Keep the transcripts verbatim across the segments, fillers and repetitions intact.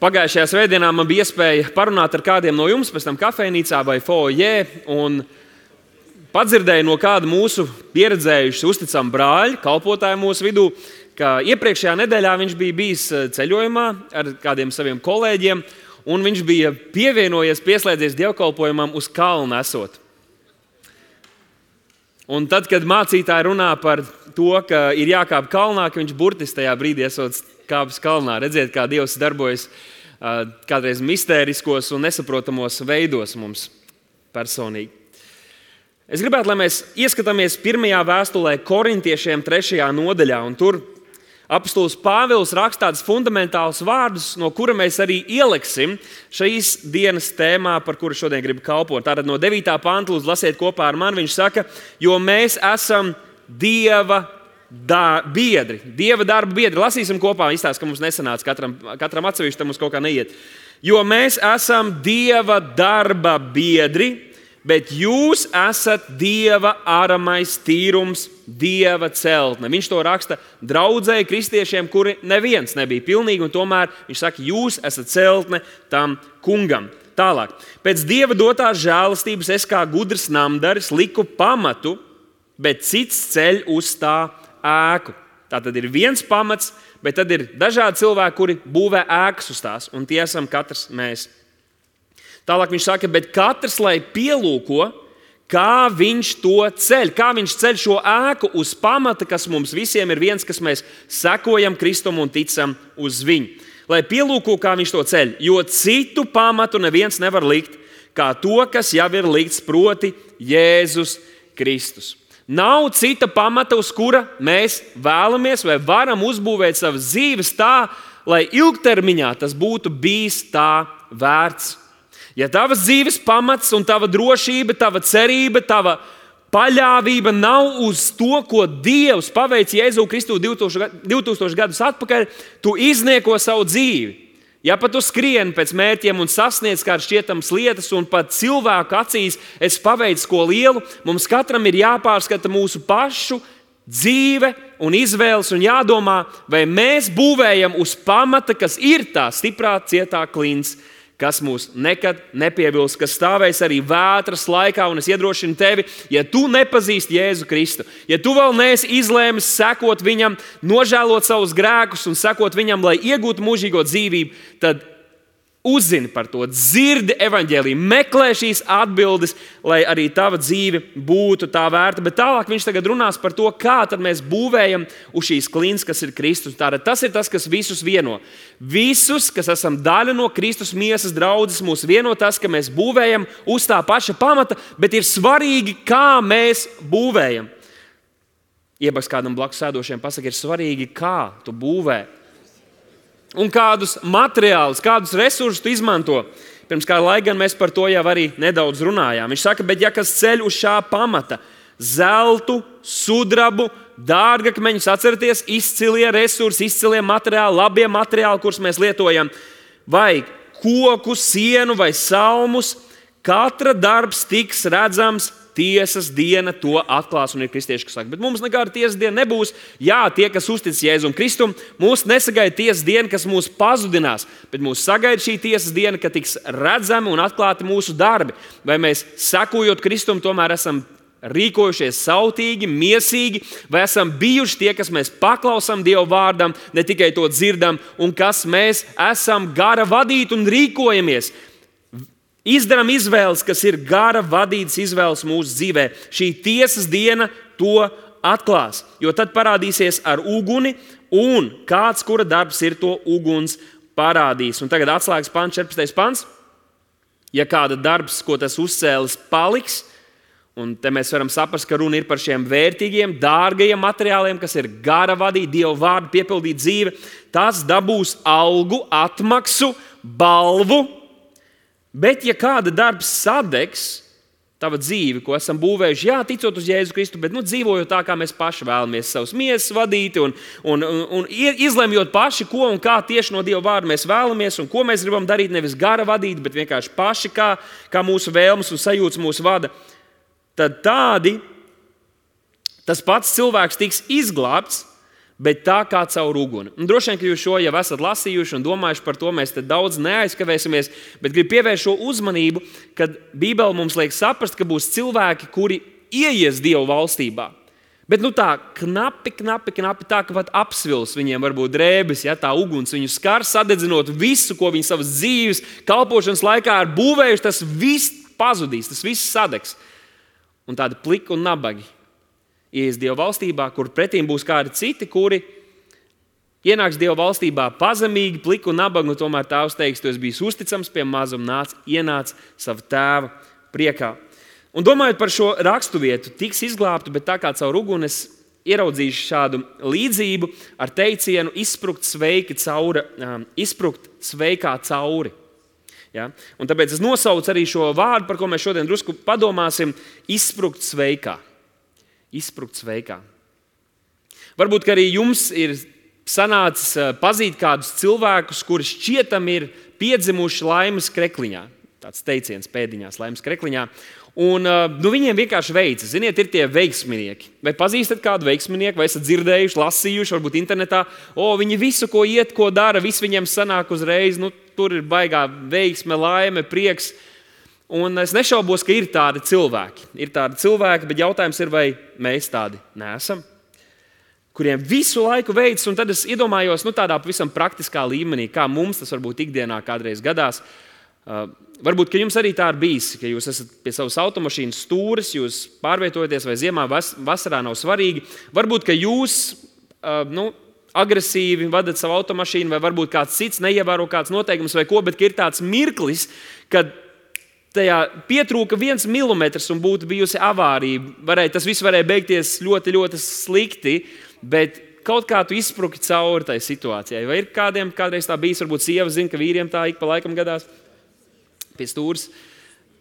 Pagājušajā svētdienā man bija iespēja parunāt ar kādiem no jums, pēc tam kafejnīcā vai foajē, un padzirdēju no kāda mūsu pieredzējuši uzticama brāļa, kalpotāja mūsu vidū, ka iepriekšējā nedēļā viņš bija bijis ceļojumā ar kādiem saviem kolēģiem, un viņš bija pievienojies, pieslēdzies dievkalpojumam uz kalnu esot. Un tad, kad mācītāji runā par to, ka ir jākāp kalnā, ka viņš burtiski tajā brīdī esot kāpis kalnā, redziet, kā Dievs darbojas kādreiz mistēriskos un nesaprotamos veidos mums personīgi. Es gribētu, lai mēs ieskatāmies pirmajā vēstulē Korintiešiem trešajā nodaļā, un tur apostols Pāvils raksta tādus fundamentālus vārdus, no kura mēs arī ieliksim šīs dienas tēmā, par kuru šodien gribu kalpot. Tātad no devītā panta, lūdzu, lasiet kopā ar mani, viņš saka, jo mēs esam Dieva Da, biedri, Dieva darba biedri. Lasīsim kopā, izstāst, ka mums nesanāca katram, katram atsevišķi, tam mums kaut kā neiet. Jo mēs esam Dieva darba biedri, bet jūs esat Dieva aramais tīrums, Dieva celtne. Viņš to raksta draudzēji kristiešiem, kuri neviens nebija pilnīgi, un tomēr viņš saka, jūs esat celtne tam kungam. Tālāk. Pēc Dieva dotās žēlastības es kā gudrs namdaris liku pamatu, bet cits ceļ uz tā ēku. Tā tad ir viens pamats, bet tad ir dažādi cilvēki, kuri būvē ēkas uz tās, un tie esam katrs mēs. Tālāk viņš saka, bet katrs, lai pielūko, kā viņš to ceļ, kā viņš ceļ šo ēku uz pamata, kas mums visiem ir viens, kas mēs sekojam Kristum un ticam uz viņu. Lai pielūko, kā viņš to ceļ, jo citu pamatu neviens nevar likt, kā to, kas jau ir likts, proti Jēzus Kristus. Nav cita pamata, uz kura mēs vēlamies vai varam uzbūvēt savas dzīves tā, lai ilgtermiņā tas būtu bijis tā vērts. Ja tavas dzīves pamats un tava drošība, tava cerība, tava paļāvība nav uz to, ko Dievs paveic Jēzu Kristu divtūkstoši gadus atpakaļ, tu iznieko savu dzīvi. Ja pat tu skrieni pēc mērķiem un sasniedz kādas šķietamas lietas, un pat cilvēku acīs es paveicu ko lielu, mums katram ir jāpārskata mūsu pašu dzīve un izvēles un jādomā, vai mēs būvējam uz pamata, kas ir tā stiprā, cietā klints, kas mūs nekad nepievils, kas stāvēs arī vētras laikā, un es iedrošinu tevi, ja tu nepazīsti Jēzu Kristu, ja tu vēl neesi izlēmis sekot viņam, nožēlot savus grēkus un sekot viņam, lai iegūtu mūžīgo dzīvību, tad uzzini par to, dzirdi evaņģēliju, meklē šīs atbildes, lai arī tava dzīve būtu tā vērta. Bet tālāk viņš tagad runās par to, kā tad mēs būvējam uz šīs klints, kas ir Kristus. Tātad tas ir tas, kas visus vieno. Visus, kas esam daļa no Kristus miesas draudzes, mūs vieno tas, ka mēs būvējam uz tā paša pamata, bet ir svarīgi, kā mēs būvējam. Iebaks kādam blakus sēdošiem pasaka, ir svarīgi, kā tu būvē. Un kādus materiālus, kādus resursus tu izmanto. Pirms kāda laika gan mēs par to jau arī nedaudz runājām. Viņš saka, bet ja kas ceļ uz šā pamata, zeltu, sudrabu, dārgakmeņus, atcerieties, izcilie resursi, izcilie materiāli, labie materiāli, kurus mēs lietojam, vai koku, sienu vai salmus, katra darbs tiks redzams, tiesas diena to atklās, un ir kristieši, kas saka, bet mums nekāda tiesas diena nebūs. Jā, tie, kas uztic Jēzum Kristum, mūs nesagaida tiesas diena, kas mūs pazudinās, bet mūs sagaida šī tiesas diena, ka tiks redzami un atklāti mūsu darbi. Vai mēs, sekojot Kristum, tomēr esam rīkojušies sautīgi, miesīgi, vai esam bijuši tie, kas mēs paklausām Dieva vārdam, ne tikai to dzirdam, un kas mēs esam gara vadīti un rīkojamies. Izdaram izvēles, kas ir gara vadītas izvēles mūsu dzīvē. Šī tiesas diena to atklās, jo tad parādīsies ar uguni, un kāds, kura darbs ir to uguns parādīs. Un tagad atslēgas pants, četrpadsmitais pants. Ja kāda darbs, ko tas uzcēlis, paliks, un te mēs varam saprast, ka runa ir par šiem vērtīgiem, dārgajiem materiāliem, kas ir gara vadīt, Dieva vārdu piepildīt dzīve, tas dabūs algu, atmaksu, balvu. Bet, ja kāda darbs sadegs, tava dzīve, ko esam būvējuši, jā, ticot uz Jēzu Kristu, bet nu, dzīvojot tā, kā mēs paši vēlamies savus miesas vadīt un, un, un, un izlemjot paši, ko un kā tieši no Dieva vārda mēs vēlamies un ko mēs gribam darīt, nevis gara vadīt, bet vienkārši paši, kā, kā mūsu vēlmes un sajūtas mūsu vada, tad tādi, tas pats cilvēks tiks izglābts, bet tā kā caur uguni. Un droši vien, ka jūs šo jau esat lasījuši un domājuši par to, mēs te daudz neaizkavēsimies, bet gribu pievērst šo uzmanību, kad Bībele mums liek saprast, ka būs cilvēki, kuri ieies Dieva valstībā. Bet nu tā knapi, knapi, knapi, tā ka pat apsvils viņiem varbūt drēbes, ja tā uguns viņu skar, sadedzinot visu, ko viņi savas dzīves, kalpošanas laikā ir būvējuši, tas viss pazudīs, tas viss sadegs. Un tādi pliki un nabagi ieies Dieva valstībā, kur pretīm būs kādi citi, kuri ienāks Dieva valstībā pazemīgi, pliki un nabagi, un tomēr Tēvs teiks, tu esi bijis uzticams pie mazuma, nāc, ienāc savu tēva priekā. Un domājot par šo raksturvietu, tiks izglābtu, bet tā kā caur uguni es ieraudzīšu šādu līdzību ar teicienu izsprukt sveiki cauri, um, izsprukt sveikā cauri. Ja? Un tāpēc es nosaucu arī šo vārdu, par ko mēs šodien drusku padomāsim, izsprukt sveikā. Izsprukt sveikā. Varbūt, ka arī jums ir sanācis pazīt kādus cilvēkus, kuri šķietam ir piedzimuši laimes krekliņā. Tāds teiciens pēdiņās, laimes krekliņā. Un nu, viņiem vienkārši veicas. Ziniet, ir tie veiksminieki. Vai pazīstat kādu veiksminieku, vai esat dzirdējuši, lasījuši, varbūt internetā, o, viņi visu, ko iet, ko dara, viss viņiem sanāk uzreiz, nu, tur ir baigā veiksme, laime, prieks. Un es nešaubos, ka ir tādi cilvēki. Ir tādi cilvēki, bet jautājums ir, vai mēs tādi neesam, kuriem visu laiku veids, un tad es iedomājos nu, tādā pavisam praktiskā līmenī, kā mums tas varbūt ikdienā kādreiz gadās. Uh, varbūt, ka jums arī tā ir bijis, ka jūs esat pie savas automašīnas stūres, jūs pārvietojaties vai ziemā, vas, vasarā nav svarīgi. Varbūt, ka jūs uh, nu, agresīvi vadat savu automašīnu, vai varbūt kāds cits neievēro kāds noteikums vai ko, bet ka ir tāds mirklis, kad tajā pietrūka viens milimetrs un būtu bijusi avārija. Varēja, tas viss varēja beigties ļoti, ļoti slikti, bet kaut kā tu izspruki cauri tai situācijai. Vai ir kādiem kādreiz tā bijis, varbūt sieva zina, ka vīriem tā ik pa laikam gadās pie stūres.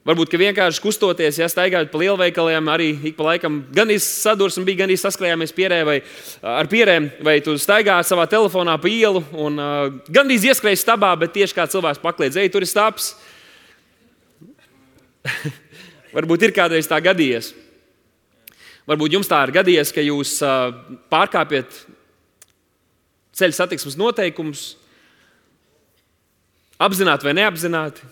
Varbūt, ka vienkārši kustoties, ja staigājot pa lielveikaliem, arī ik pa laikam gandrīz sadursme bija, gandrīz saskrējāmies pierē vai ar pierēm, vai tu staigā savā telefonā pa ielu un uh, gandrīz ieskrēji stabā, bet tieši kā cilvēks pakliedz, ej, tur ir stabs. Varbūt ir kādreiz tā gadījies. Varbūt jums tā ir gadījies, ka jūs uh, pārkāpjat ceļa satiksmes noteikumus, apzināti vai neapzināti.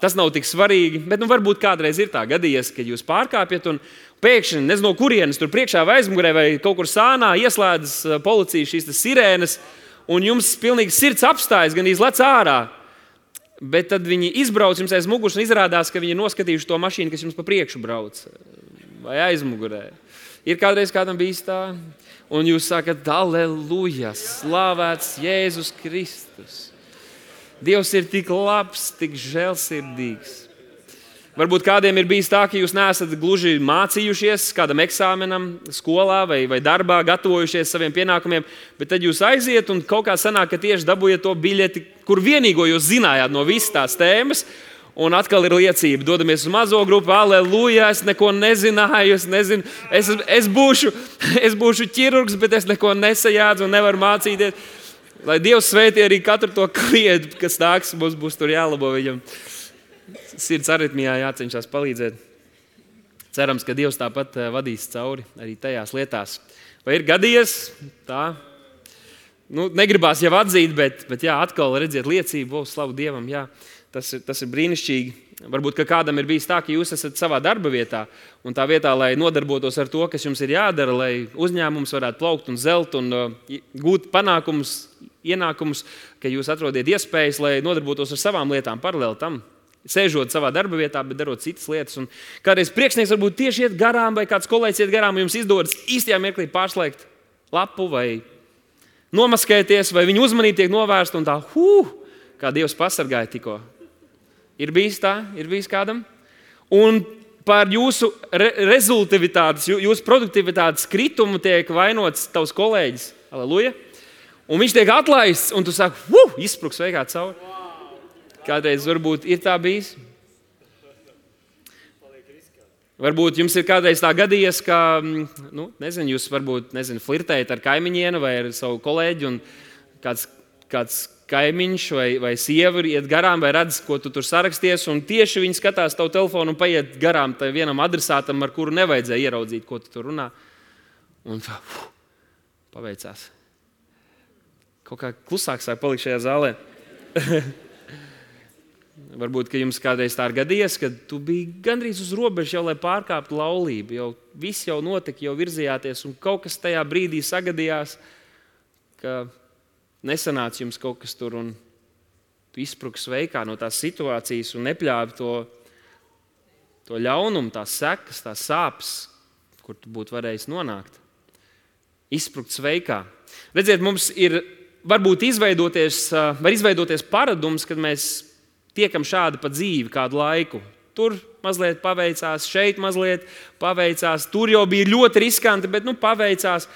Tas nav tik svarīgi, bet nu, varbūt kādreiz ir tā gadījies, ka jūs pārkāpjat un pēkšņi, nezinu no kurienes, tur priekšā vai aizmugurē vai kaut kur sānā ieslēdzas policija šīs sirēnas, un jums pilnīgi sirds apstājas, gan izlec ārā. Bet tad viņi izbrauc jums aiz muguras un izrādās, ka viņi ir noskatījuši to mašīnu, kas jums pa priekšu brauc vai aizmugurē. Ir kādreiz kādam bijis tā, un jūs sakat, aleluja, slavēts Jēzus Kristus. Dievs ir tik labs, tik žēlsirdīgs. Varbūt kādiem ir bijis tā, ka jūs neesat gluži mācījušies kādam eksāmenam skolā vai, vai darbā, gatavojušies saviem pienākumiem, bet tad jūs aiziet un kaut kā sanāk, ka tieši dabūjat to biļeti, kur vienīgo jūs zinājāt no visas tās tēmas, un atkal ir liecība. Dodamies uz mazo grupu, aleluja, es neko nezināju, es nezinu, es, es, būšu, es būšu ķirurgs, bet es neko nesajādzu un nevaru mācīties. Lai Dievs svētī arī katru to klientu, kas nāks, mums būs tur jālabo viņam. Sirds aritmijā jācenšas palīdzēt. Cerams, ka Dievs tāpat vadīs cauri arī tajās lietās. Vai ir gadījies tā? Nu, negribās jau atzīt, bet, bet jā, atkal redziet liecību, o, slavu Dievam, jā, tas ir, tas ir brīnišķīgi. Varbūt, ka kādam ir bijis tā, ka jūs esat savā darba vietā, un tā vietā, lai nodarbotos ar to, kas jums ir jādara, lai uzņēmums varētu plaukt un zelt un uh, gūt panākumus, ienākumus, ka jūs atrodiet iespējas, lai nodarbotos ar savām lietām paralēli tam. Sēžot savā darba vietā, bet darot citas lietas. Un kādreiz priekšnieks varbūt tieši iet garām, vai kāds kolēģis iet garām, un jums izdodas īstajā mirklī pārslēgt lapu vai nomaskēties, vai viņa uzmanība tiek novērsta un tā, huh, kā Dievs pasargāja tikko. Ir bijis tā, ir bijis kādam. Un par jūsu re rezultātivitātes, jūsu produktivitātes kritumu tiek vainots tavs kolēģis. Aleluja. Un viņš tiek atlaists, un tu saki, huh, izspruks sveikā cauri. Kādreiz varbūt ir tā bijis. Varbūt jums ir kādreiz tā gadījies, ka, nu, nezinu, jūs varbūt, nezinu, flirtējat ar kaimiņienu vai ar savu kolēģi, un kāds, kāds kaimiņš vai, vai sieva iet garām vai redz, ko tu tur saraksties, un tieši viņi skatās tavu telefonu un paiet garām tai vienam adresātam, ar kuru nevajadzēja ieraudzīt, ko tu tur runā. Un tā, Paveicās. Kaut kā klusāk sāk palikt šajā zālē. Varbūt, ka jums kādreiz tā ir gadījies, ka tu biji gandrīz uz robežas jau, lai pārkāptu laulību. Jau viss jau notika, jau virzījāties, un kaut kas tajā brīdī sagadījās, ka nesanāca jums kaut kas tur, un tu izspruki sveikā no tās situācijas un nepļāvi to, to ļaunumu, tās sekas, tās sāpes, kur tu būtu varējis nonākt. Izsprukt sveikā. Redziet, mums ir varbūt izveidoties, var izveidoties paradums, kad mēs tiekam šādi pa dzīvi kādu laiku. Tur mazliet paveicās, šeit mazliet paveicās, tur jau bija ļoti riskanti, bet nu paveicās.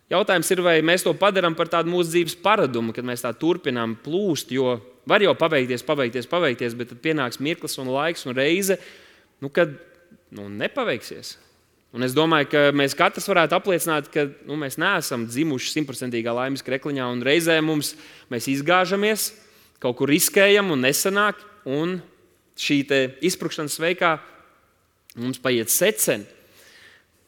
Jautājums ir, vai mēs to padarām par tādu mūsu dzīves paradumu, kad mēs tā turpinām plūst, jo var jau paveikties, paveikties, paveikties, bet tad pienāks mirklis un laiks un reize, nu, kad nu, nepaveiksies. Un es domāju, ka mēs katrs varētu apliecināt, ka nu, mēs neesam dzimuši simtprocentīgā laimes krekliņā, un reizē mums mēs izgāžamies, kaut kur riskējam un nesanāk, un šī te izsprukšanas sveikā mums paiet seceni.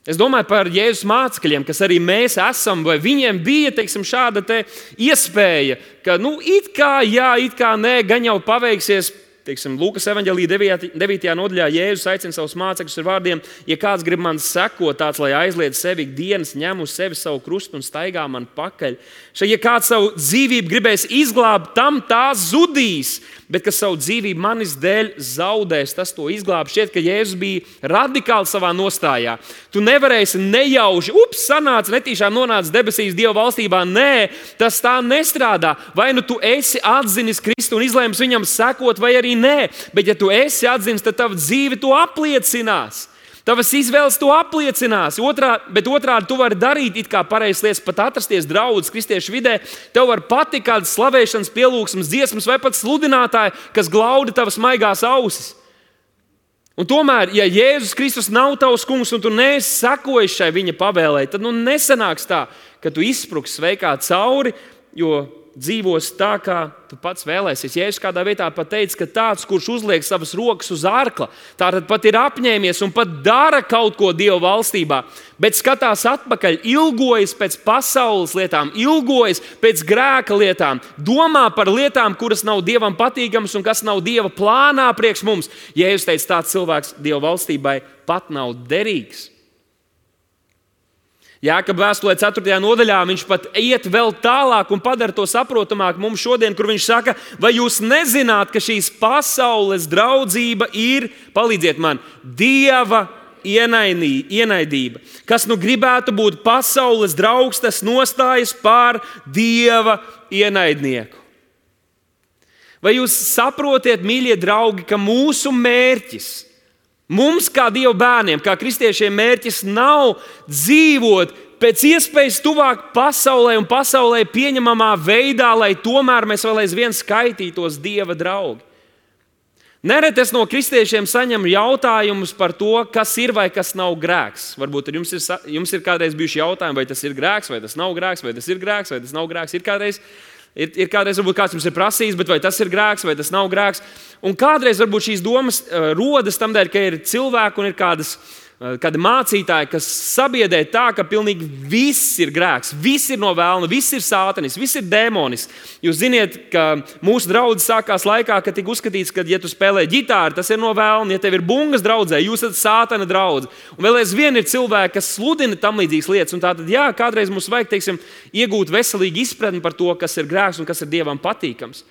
Es domāju par Jēzus mācekļiem, kas arī mēs esam, vai viņiem bija, teiksim, šāda te iespēja, ka, nu, it kā jā, it kā nē, gan jau paveiksies. Teiksim, Lūkas evaņģēlijā devītajā nodaļā Jēzus aicina savus mācekļus ar vārdiem: ja kāds grib man sekot, tāds, lai aizliedz sevi ikdienas, ņem uz sevi savu krustu un staigā man pakaļ. Šai, ja kāds savu dzīvību gribēs izglābt, tam tā zudīs, bet kas savu dzīvību manis dēļ zaudēs, tas to izglāb. Šķiet, ka Jēzus bija radikāli savā nostājā. Tu nevarēsi nejauši, ups, sanāca, netīšām nonāca debesīs Dieva valstībā. Nē, tas tā nestrādā. Vai nu tu esi atzinis Kristu un izlēmis viņam sekot, vai arī nē, bet ja tu esi atzinis, tad tava dzīve to apliecinās. Tavas izvēles to apliecinās. Otrā, bet otrādi tu vari darīt it kā pareizas lietas, pat atrasties draudzes kristiešu vidē. Tev var patikt kādas slavēšanas, pielūgsmes, dziesmas vai pat sludinātāji, kas glaudi tavas maigās ausis. Un tomēr, ja Jēzus Kristus nav tavs kungs un tu neesi sekojis šai viņa pavēlei, tad nu nesanāks tā, ka tu izspruksi sveikā cauri, jo dzīvos tā, kā tu pats vēlēsies. Jēzus kādā vietā pat teica, ka tāds, kurš uzliek savas rokas uz ārkla, tātad pat ir apņēmies un pat dara kaut ko Dieva valstībā, bet skatās atpakaļ, ilgojas pēc pasaules lietām, ilgojas pēc grēka lietām, domā par lietām, kuras nav Dievam patīkamas un kas nav Dieva plānā priekš mums. Jēzus teica, tāds cilvēks Dieva valstībai pat nav derīgs. Jākaba vēstulē ceturtajā nodaļā viņš pat iet vēl tālāk un padara to saprotamāk mums šodien, kur viņš saka, vai jūs nezināt, ka šīs pasaules draudzība ir, palīdziet man, Dieva ienaidība. Kas nu gribētu būt pasaules draugs, tas nostājas pār Dieva ienaidnieku. Vai jūs saprotiet, mīļie draugi, ka mūsu mērķis, mums, kā Dieva bērniem, kā kristiešiem, mērķis nav dzīvot pēc iespējas tuvāk pasaulē un pasaulē pieņemamā veidā, lai tomēr mēs vēl aizvien skaitītos Dieva draugi. Nereti es no kristiešiem saņemu jautājumus par to, kas ir vai kas nav grēks. Varbūt jums ir, jums ir kādreiz bijuši jautājumi, vai tas ir grēks, vai tas nav grēks, vai tas ir grēks, vai tas nav grēks. Ir kādreiz Ir, ir kādreiz, varbūt kāds jums ir prasījis, bet vai tas ir grēks, vai tas nav grēks. Un kādreiz varbūt šīs domas uh, rodas tam dēļ, ka ir cilvēki un ir kādas, uh, kādi mācītāji, kas sabiedē tā, ka pilnīgi viss ir grēks, viss ir no vēlna, viss ir sātanis, viss ir dēmonis. Jūs ziniet, ka mūsu draudzes sākās laikā, kad tika uzskatīts, ka, ja tu spēlē ģitāru, tas ir no vēlna. Ja tev ir bungas draudzē, jūs esat sātana draudze. Un vēl aizvien ir cilvēki, kas sludina tam līdzīgas lietas. Un tātad, jā, kādreiz mums vajag, teiksim, iegūt veselīgu izpratni par to, kas ir grēks un kas ir Dievam patīkams.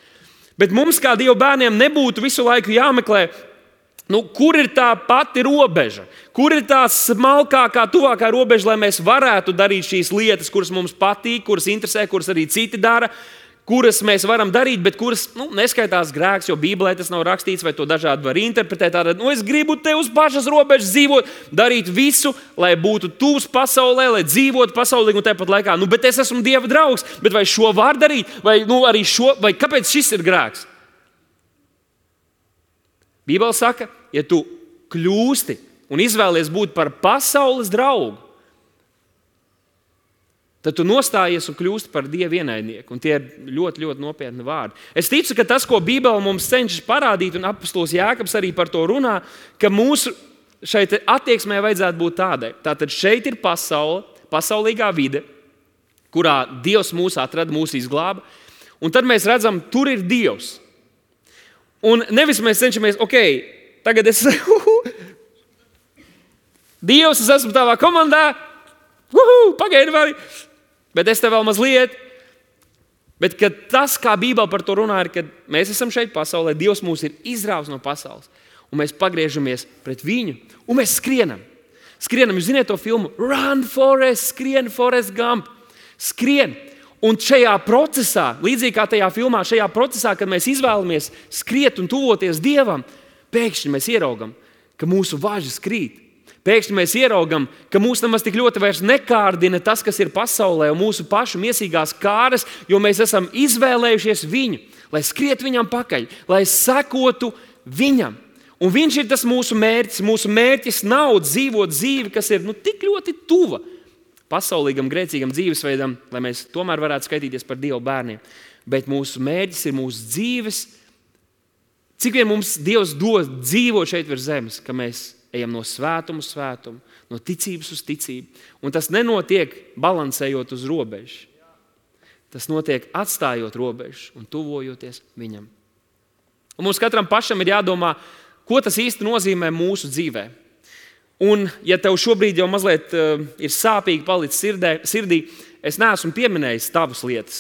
Bet mums, kā Dieva bērniem, nebūtu visu laiku jāmeklē, nu, kur ir tā pati robeža, kur ir tā smalkākā, tuvākā robeža, lai mēs varētu darīt šīs lietas, kuras mums patīk, kuras interesē, kuras arī citi dara, kuras mēs varam darīt, bet kuras nu, neskaitās grēks, jo Bībelē tas nav rakstīts, vai to dažādi var interpretēt. Tātad, nu, es gribu te uz pašas robežas dzīvot, darīt visu, lai būtu tuvs pasaulē, lai dzīvotu pasaulīgi un tāpat laikā. Nu, bet es esmu Dieva draugs, bet vai šo var darīt, vai, nu, arī šo, vai kāpēc šis ir grēks? Bībele saka, ja tu kļūsti un izvēlies būt par pasaules draugu, tad tu nostājies un kļūsti par Dieva ienaidnieku. Un tie ir ļoti, ļoti nopietni vārdi. Es ticu, ka tas, ko Bībele mums cenšas parādīt, un apostols Jākabs arī par to runā, ka mūsu šeit attieksmē vajadzētu būt tādai. Tātad šeit ir pasaule, pasaulīgā vide. kurā Dievs mūs atrada, mūs izglāba. Un tad mēs redzam, tur ir Dievs. Un nevis mēs cenšamies, ok, tagad es... Dievs, es esmu tavā komandā, uhu, pagaidi vari, bet es tev vēl mazliet. Bet kad tas, kā Bībele par to runā, ir, kad mēs esam šeit pasaulē, Dievs mūs ir izrāvis no pasaules, un mēs pagriežamies pret viņu, un mēs skrienam. Skrienam, jūs ziniet to filmu Run, Forrest, skrien, Forrest Gump. Skrien. Un šajā procesā, līdzīgi kā tajā filmā, šajā procesā, kad mēs izvēlamies skriet un tuvoties Dievam, pēkšņi mēs ieraugam, ka mūsu važas krīt. Pēkšņi mēs ieraugam, ka mūs nemaz tik ļoti vairs nekārdina tas, kas ir pasaulē un mūsu pašu miesīgās kāras, jo mēs esam izvēlējušies viņu, lai skriet viņam pakaļ, lai sekotu viņam. Un viņš ir tas mūsu mērķis. Mūsu mērķis nav dzīvot dzīvi, kas ir nu, tik ļoti tuva pasaulīgam, grēcīgam dzīvesveidam, lai mēs tomēr varētu skaitīties par Dieva bērniem. Bet mūsu mērķis ir mūsu dzīves, cik vien mums Dievs dod dzīvot šeit virs zemes, ka mēs ejam no svētuma uz svētumu, no ticības uz ticību. Un tas nenotiek balansējot uz robežu. Tas notiek atstājot robežu un tuvojoties viņam. Un mums katram pašam ir jādomā, ko tas īsti nozīmē mūsu dzīvē. Un, ja tev šobrīd jau mazliet uh, ir sāpīgi palicis sirdē, sirdī, es neesmu pieminējis tavas lietas.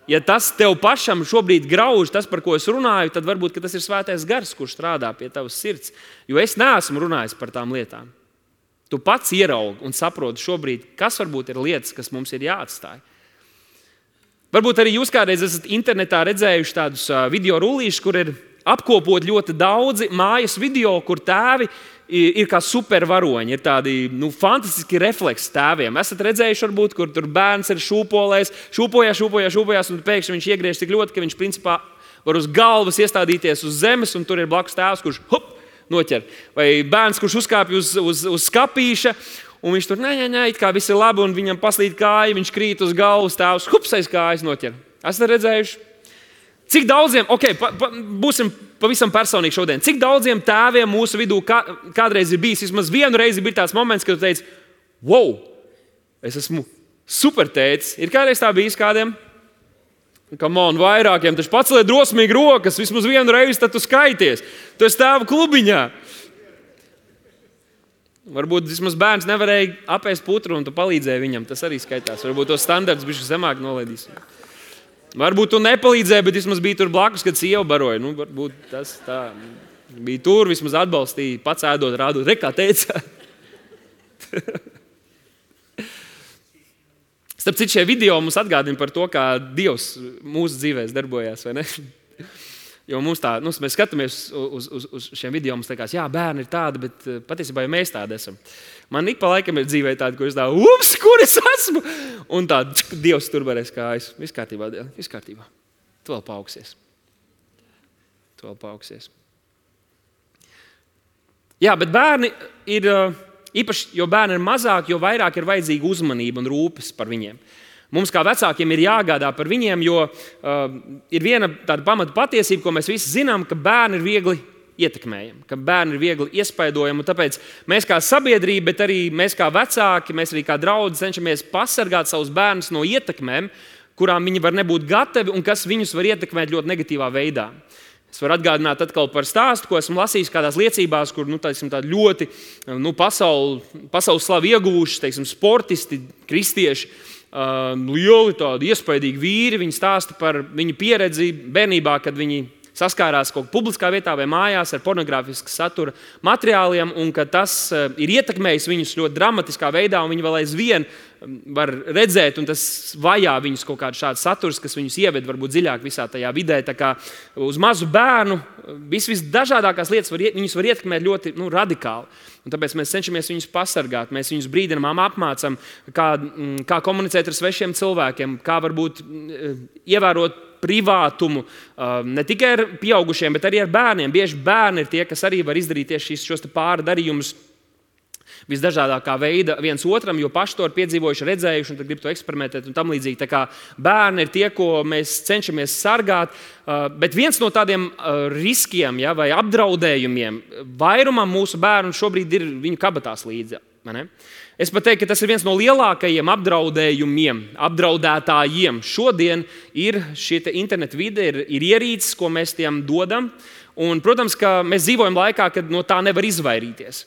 Ja tas tev pašam šobrīd grauž, tas, par ko es runāju, tad varbūt tas ir svētais gars, kurš strādā pie tavas sirds. Jo es neesmu runājis par tām lietām. Tu pats ieraugi un saproti šobrīd, kas varbūt ir lietas, kas mums ir jāatstāj. Varbūt arī jūs kādreiz esat internetā redzējuši tādus video rullīšus, kur ir apkopot ļoti daudzi mājas video, kur tēvi ir kā supervaroņi, ir tādi nu, fantastiski refleksi tēviem. Esat redzējuši, varbūt, kur tur bērns ir šūpolējis, šūpojās, šūpojās, šūpojās, un pēkšņi viņš iegriež tik ļoti, ka viņš principā var uz galvas iestādīties uz zemes, un tur ir blakus tēvs, kurš hop, noķer. Vai bērns, kurš uzkāpj uz, uz, uz skapīša, un viņš tur, nē, nē, nē, it kā viss ir labi, un viņam paslīd kāja, viņš krīt uz galvas, tēvs, hups, aiz kājas noķer. Esat redzējuši? Cik daudziem, ok, pa, pa, būsim pavisam personīgi šodien, cik daudziem tēviem mūsu vidū kā, kādreiz ir bijis, vismaz vienu reizi bija tāds moments, kad tu teici, wow, es esmu super tētis. Ir kādreiz tā bijis kādiem? Come on, vairākiem, taču paceliet drosmīgi rokas, vismaz vienu reizi, tad tu skaities. Tu esi tēva klubiņā. Varbūt vismaz bērns nevarēja apēst putru un tu palīdzēji viņam, tas arī skaitās. Varbūt to standarts bišķi zemāk nolaidīs. Varbūt tu nepalīdzēji, bet vismaz bija tur blakus, kad sieva baroja. Nu, varbūt tas tā bija tur, vismaz atbalstīja, pats ēdot, rādot. Re, kā teica. Starp citu, šie video mums atgādina par to, kā Dievs mūsu dzīvēs darbojās, vai ne? Jo mums tā, nu, mēs skatāmies uz, uz, uz šiem video, mums liekas, jā, bērni ir tādi, bet patiesībā jau mēs tādi esam. Man ik pa laikam ir dzīvē tādi, kur es tā, ups, kur es esmu? Un tā, Dievs tur varēs kājas. Viss kārtībā, viss kārtībā. Tu vēl paaugsies. Tu vēl paaugsies. Jā, bet bērni ir, īpaši, jo bērni ir mazāk, jo vairāk ir vajadzīga uzmanība un rūpes par viņiem. Mums kā vecākiem ir jāgādā par viņiem, jo uh, ir viena tāda pamata patiesība, ko mēs visi zinām, ka bērni ir viegli ietekmējami, ka bērni ir viegli iespaidojami. Tāpēc mēs kā sabiedrība, bet arī mēs kā vecāki, mēs arī kā draudzi cenšamies pasargāt savus bērnus no ietekmēm, kurām viņi var nebūt gatavi un kas viņus var ietekmēt ļoti negatīvā veidā. Es varu atgādināt atkal par stāstu, ko esmu lasījis kādās liecībās, kur nu, tāsim, tādi ļoti nu, pasauli, pasaules slavu ieguvuši, teiksim, sportisti, kristieši, uh, lieli tādi iespaidīgi vīri. Viņi stāsta par viņu pieredzi bērnībā, kad viņi saskārās kaut kā publiskā vietā vai mājās ar pornogrāfisku satura materiāliem, un ka tas ir ietekmējis viņus ļoti dramatiskā veidā, un viņi vēl aizvien var redzēt, un tas vajā viņus kaut kāds šāds saturs, kas viņus ieved varbūt dziļāk visā tajā vidē. Tā kā uz mazu bērnu vis, visdažādākās lietas var, viņus var ietekmēt ļoti nu, radikāli. Un tāpēc mēs cenšamies viņus pasargāt, mēs viņus brīdinām, apmācam, kā, kā komunicēt ar svešiem cilvēkiem, kā varbūt ievērot privātumu ne tikai ar pieaugušiem, bet arī ar bērniem. Bieži bērni ir tie, kas arī var izdarīt tieši šīs, šos pāri darījumus visdažādākā veida viens otram, jo paši to ir piedzīvojuši, redzējuši un tad grib to eksperimentēt un tam līdzīgi. Tā kā bērni ir tie, ko mēs cenšamies sargāt, bet viens no tādiem riskiem ja, vai apdraudējumiem vairumam mūsu bērnu šobrīd ir viņu kabatās līdzi. Es pat teiktu, ka tas ir viens no lielākajiem apdraudējumiem, apdraudētājiem. Šodien ir šī interneta vide, ir, ir ierīces, ko mēs tiem dodam. Un, protams, ka mēs dzīvojam laikā, kad no tā nevar izvairīties.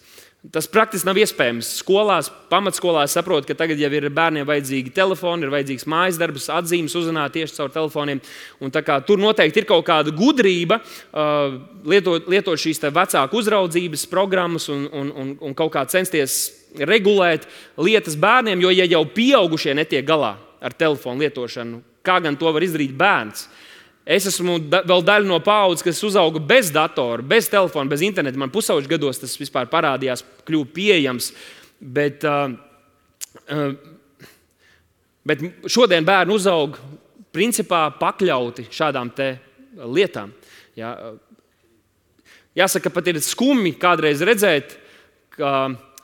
Tas praktiski nav iespējams. Skolās, pamatskolās saprot, ka tagad jau ir bērniem vajadzīgi telefoni, ir vajadzīgs mājas darbs, atzīmes uzzināt tieši caur telefoniem. Un tā kā tur noteikti ir kaut kāda gudrība uh, lietot, lietot šīs vecāku uzraudzības programmas un, un, un, un kaut kā censties regulēt lietas bērniem, jo ja jau pieaugušie netiek galā ar telefonu lietošanu, kā gan to var izdarīt bērns? Es esmu da, vēl daļa no paaudzes, kas uzauga bez datora, bez telefona, bez interneta. Man pusauģu gados tas vispār parādījās, kļuva pieejams. Bet, uh, uh, bet šodien bērni uzaug principā pakļauti šādām te lietām. Jā, jāsaka, pat ir skumji kādreiz redzēt, ka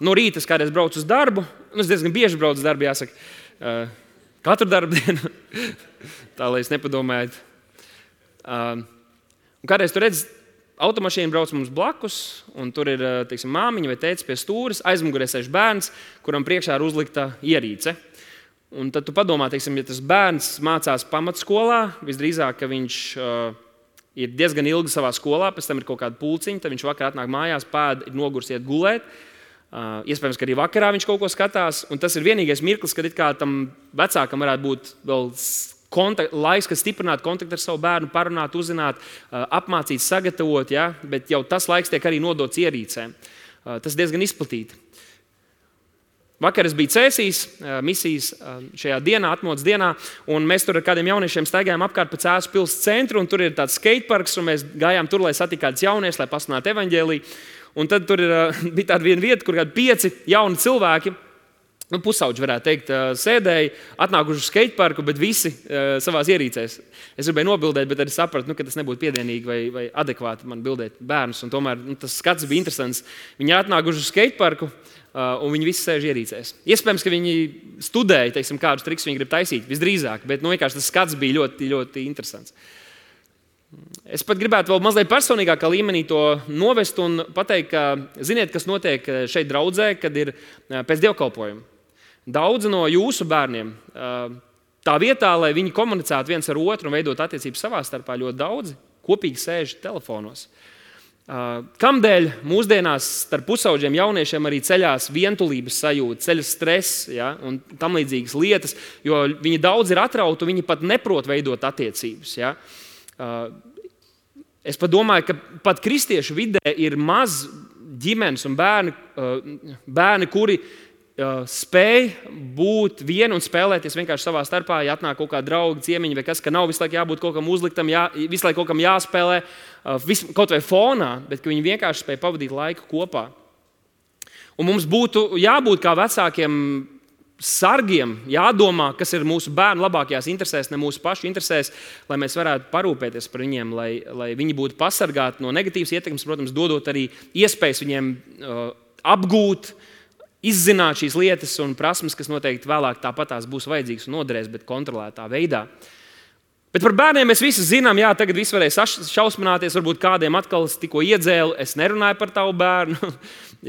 no rīta es kādreiz braucu uz darbu. Nu, es diezgan bieži braucu uz darbu, jāsaka, uh, katru darbu dienu. Tā, lai es nepadomāju. Uh, kādreiz tur redz, automašīna brauc mums blakus, un tur ir teiksim, māmiņa vai tētis pie stūres, aizmugurē sēž bērns, kuram priekšā ir uzlikta ierīce. Un tad tu padomā, teiksim, ja tas bērns mācās pamatskolā, visdrīzāk, ka viņš uh, ir diezgan ilgi savā skolā, pēc tam ir kaut kāda pulciņa, tad viņš vakar atnāk mājās, pēda, ir nogurs iet gulēt. Uh, iespējams, ka arī vakarā viņš kaut ko skatās, un tas ir vienīgais mirklis, kad it kā tam vecākam varētu būt vēl Kontakt, laiks, kas stiprinātu kontaktu ar savu bērnu, parunāt, uzzināt, apmācīt, sagatavot, ja? Bet jau tas laiks tiek arī nodots ierīcēm. Tas diezgan izplatīti. Vakar es biju Cēsīs, misijas šajā dienā, atmodas dienā, un mēs tur ar kādiem jauniešiem staigājām apkārt pa Cēsu pils centru, un tur ir tāds skateparks, un mēs gājām tur, lai satiktu kādus jauniešus, lai pasludinātu evaņģēliju. Un tad tur ir, bija tāda viena vieta, kur kādi pieci jauni cilvēki, nu, pusauģi, varētu teikt, sēdēja, atnākuši uz skateparku, bet visi uh, savās ierīcēs. Es gribēju nobildēt, bet arī sapratu, nu, ka tas nebūtu piedienīgi vai, vai adekvāti man bildēt bērnus. Un tomēr nu, tas skats bija interesants. Viņi atnākuši uz skateparku uh, un viņi visi sēž ierīcēs. Iespējams, ka viņi studēja, teiksim, kādus trikus viņi grib taisīt, visdrīzāk, bet nu, vienkārši tas skats bija ļoti, ļoti interesants. Es pat gribētu vēl mazliet personīgākā līmenī to novest un pateikt, ka ziniet, kas notiek šeit draudzē, kad ir pēc dievkalpojuma. Daudzi no jūsu bērniem tā vietā, lai viņi komunicētu viens ar otru un veidot attiecības savā starpā, ļoti daudzi kopīgi sēž telefonos. Kamdēļ mūsdienās starp pusauģiem jauniešiem arī ceļās vientulības sajūta, ceļas stress, ja, un tam līdzīgas lietas, jo viņi daudz ir atrauti, viņi pat neprot veidot attiecības. Ja. Es pat domāju, ka pat kristiešu vidē ir maz ģimenes un bērni, bērni kuri spēj būt vieni un spēlēties vienkārši savā starpā, ja atnāk kaut kādi draugi, ciemiņi vai kas, ka nav visu laiku jābūt kaut kam uzliktam, jā, visu laiku kaut kam jāspēlē, vis, kaut vai fonā, bet ka viņi vienkārši spēj pavadīt laiku kopā. Un mums būtu jābūt kā vecākiem sargiem, jādomā, kas ir mūsu bērnu labākajās interesēs, ne mūsu pašu interesēs, lai mēs varētu parūpēties par viņiem, lai, lai viņi būtu pasargāti no negatīvas ietekmes, protams, dodot arī iespējas viņiem uh, apgūt, izzināt šīs lietas un prasmes, kas noteikti vēlāk tāpatās būs vajadzīgas un noderēs, bet kontrolētā veidā. Bet par bērniem mēs visi zinām, jā, tagad viss varēja šausmināties, varbūt kādiem atkal tikko iedzēlu, es nerunāju par tavu bērnu,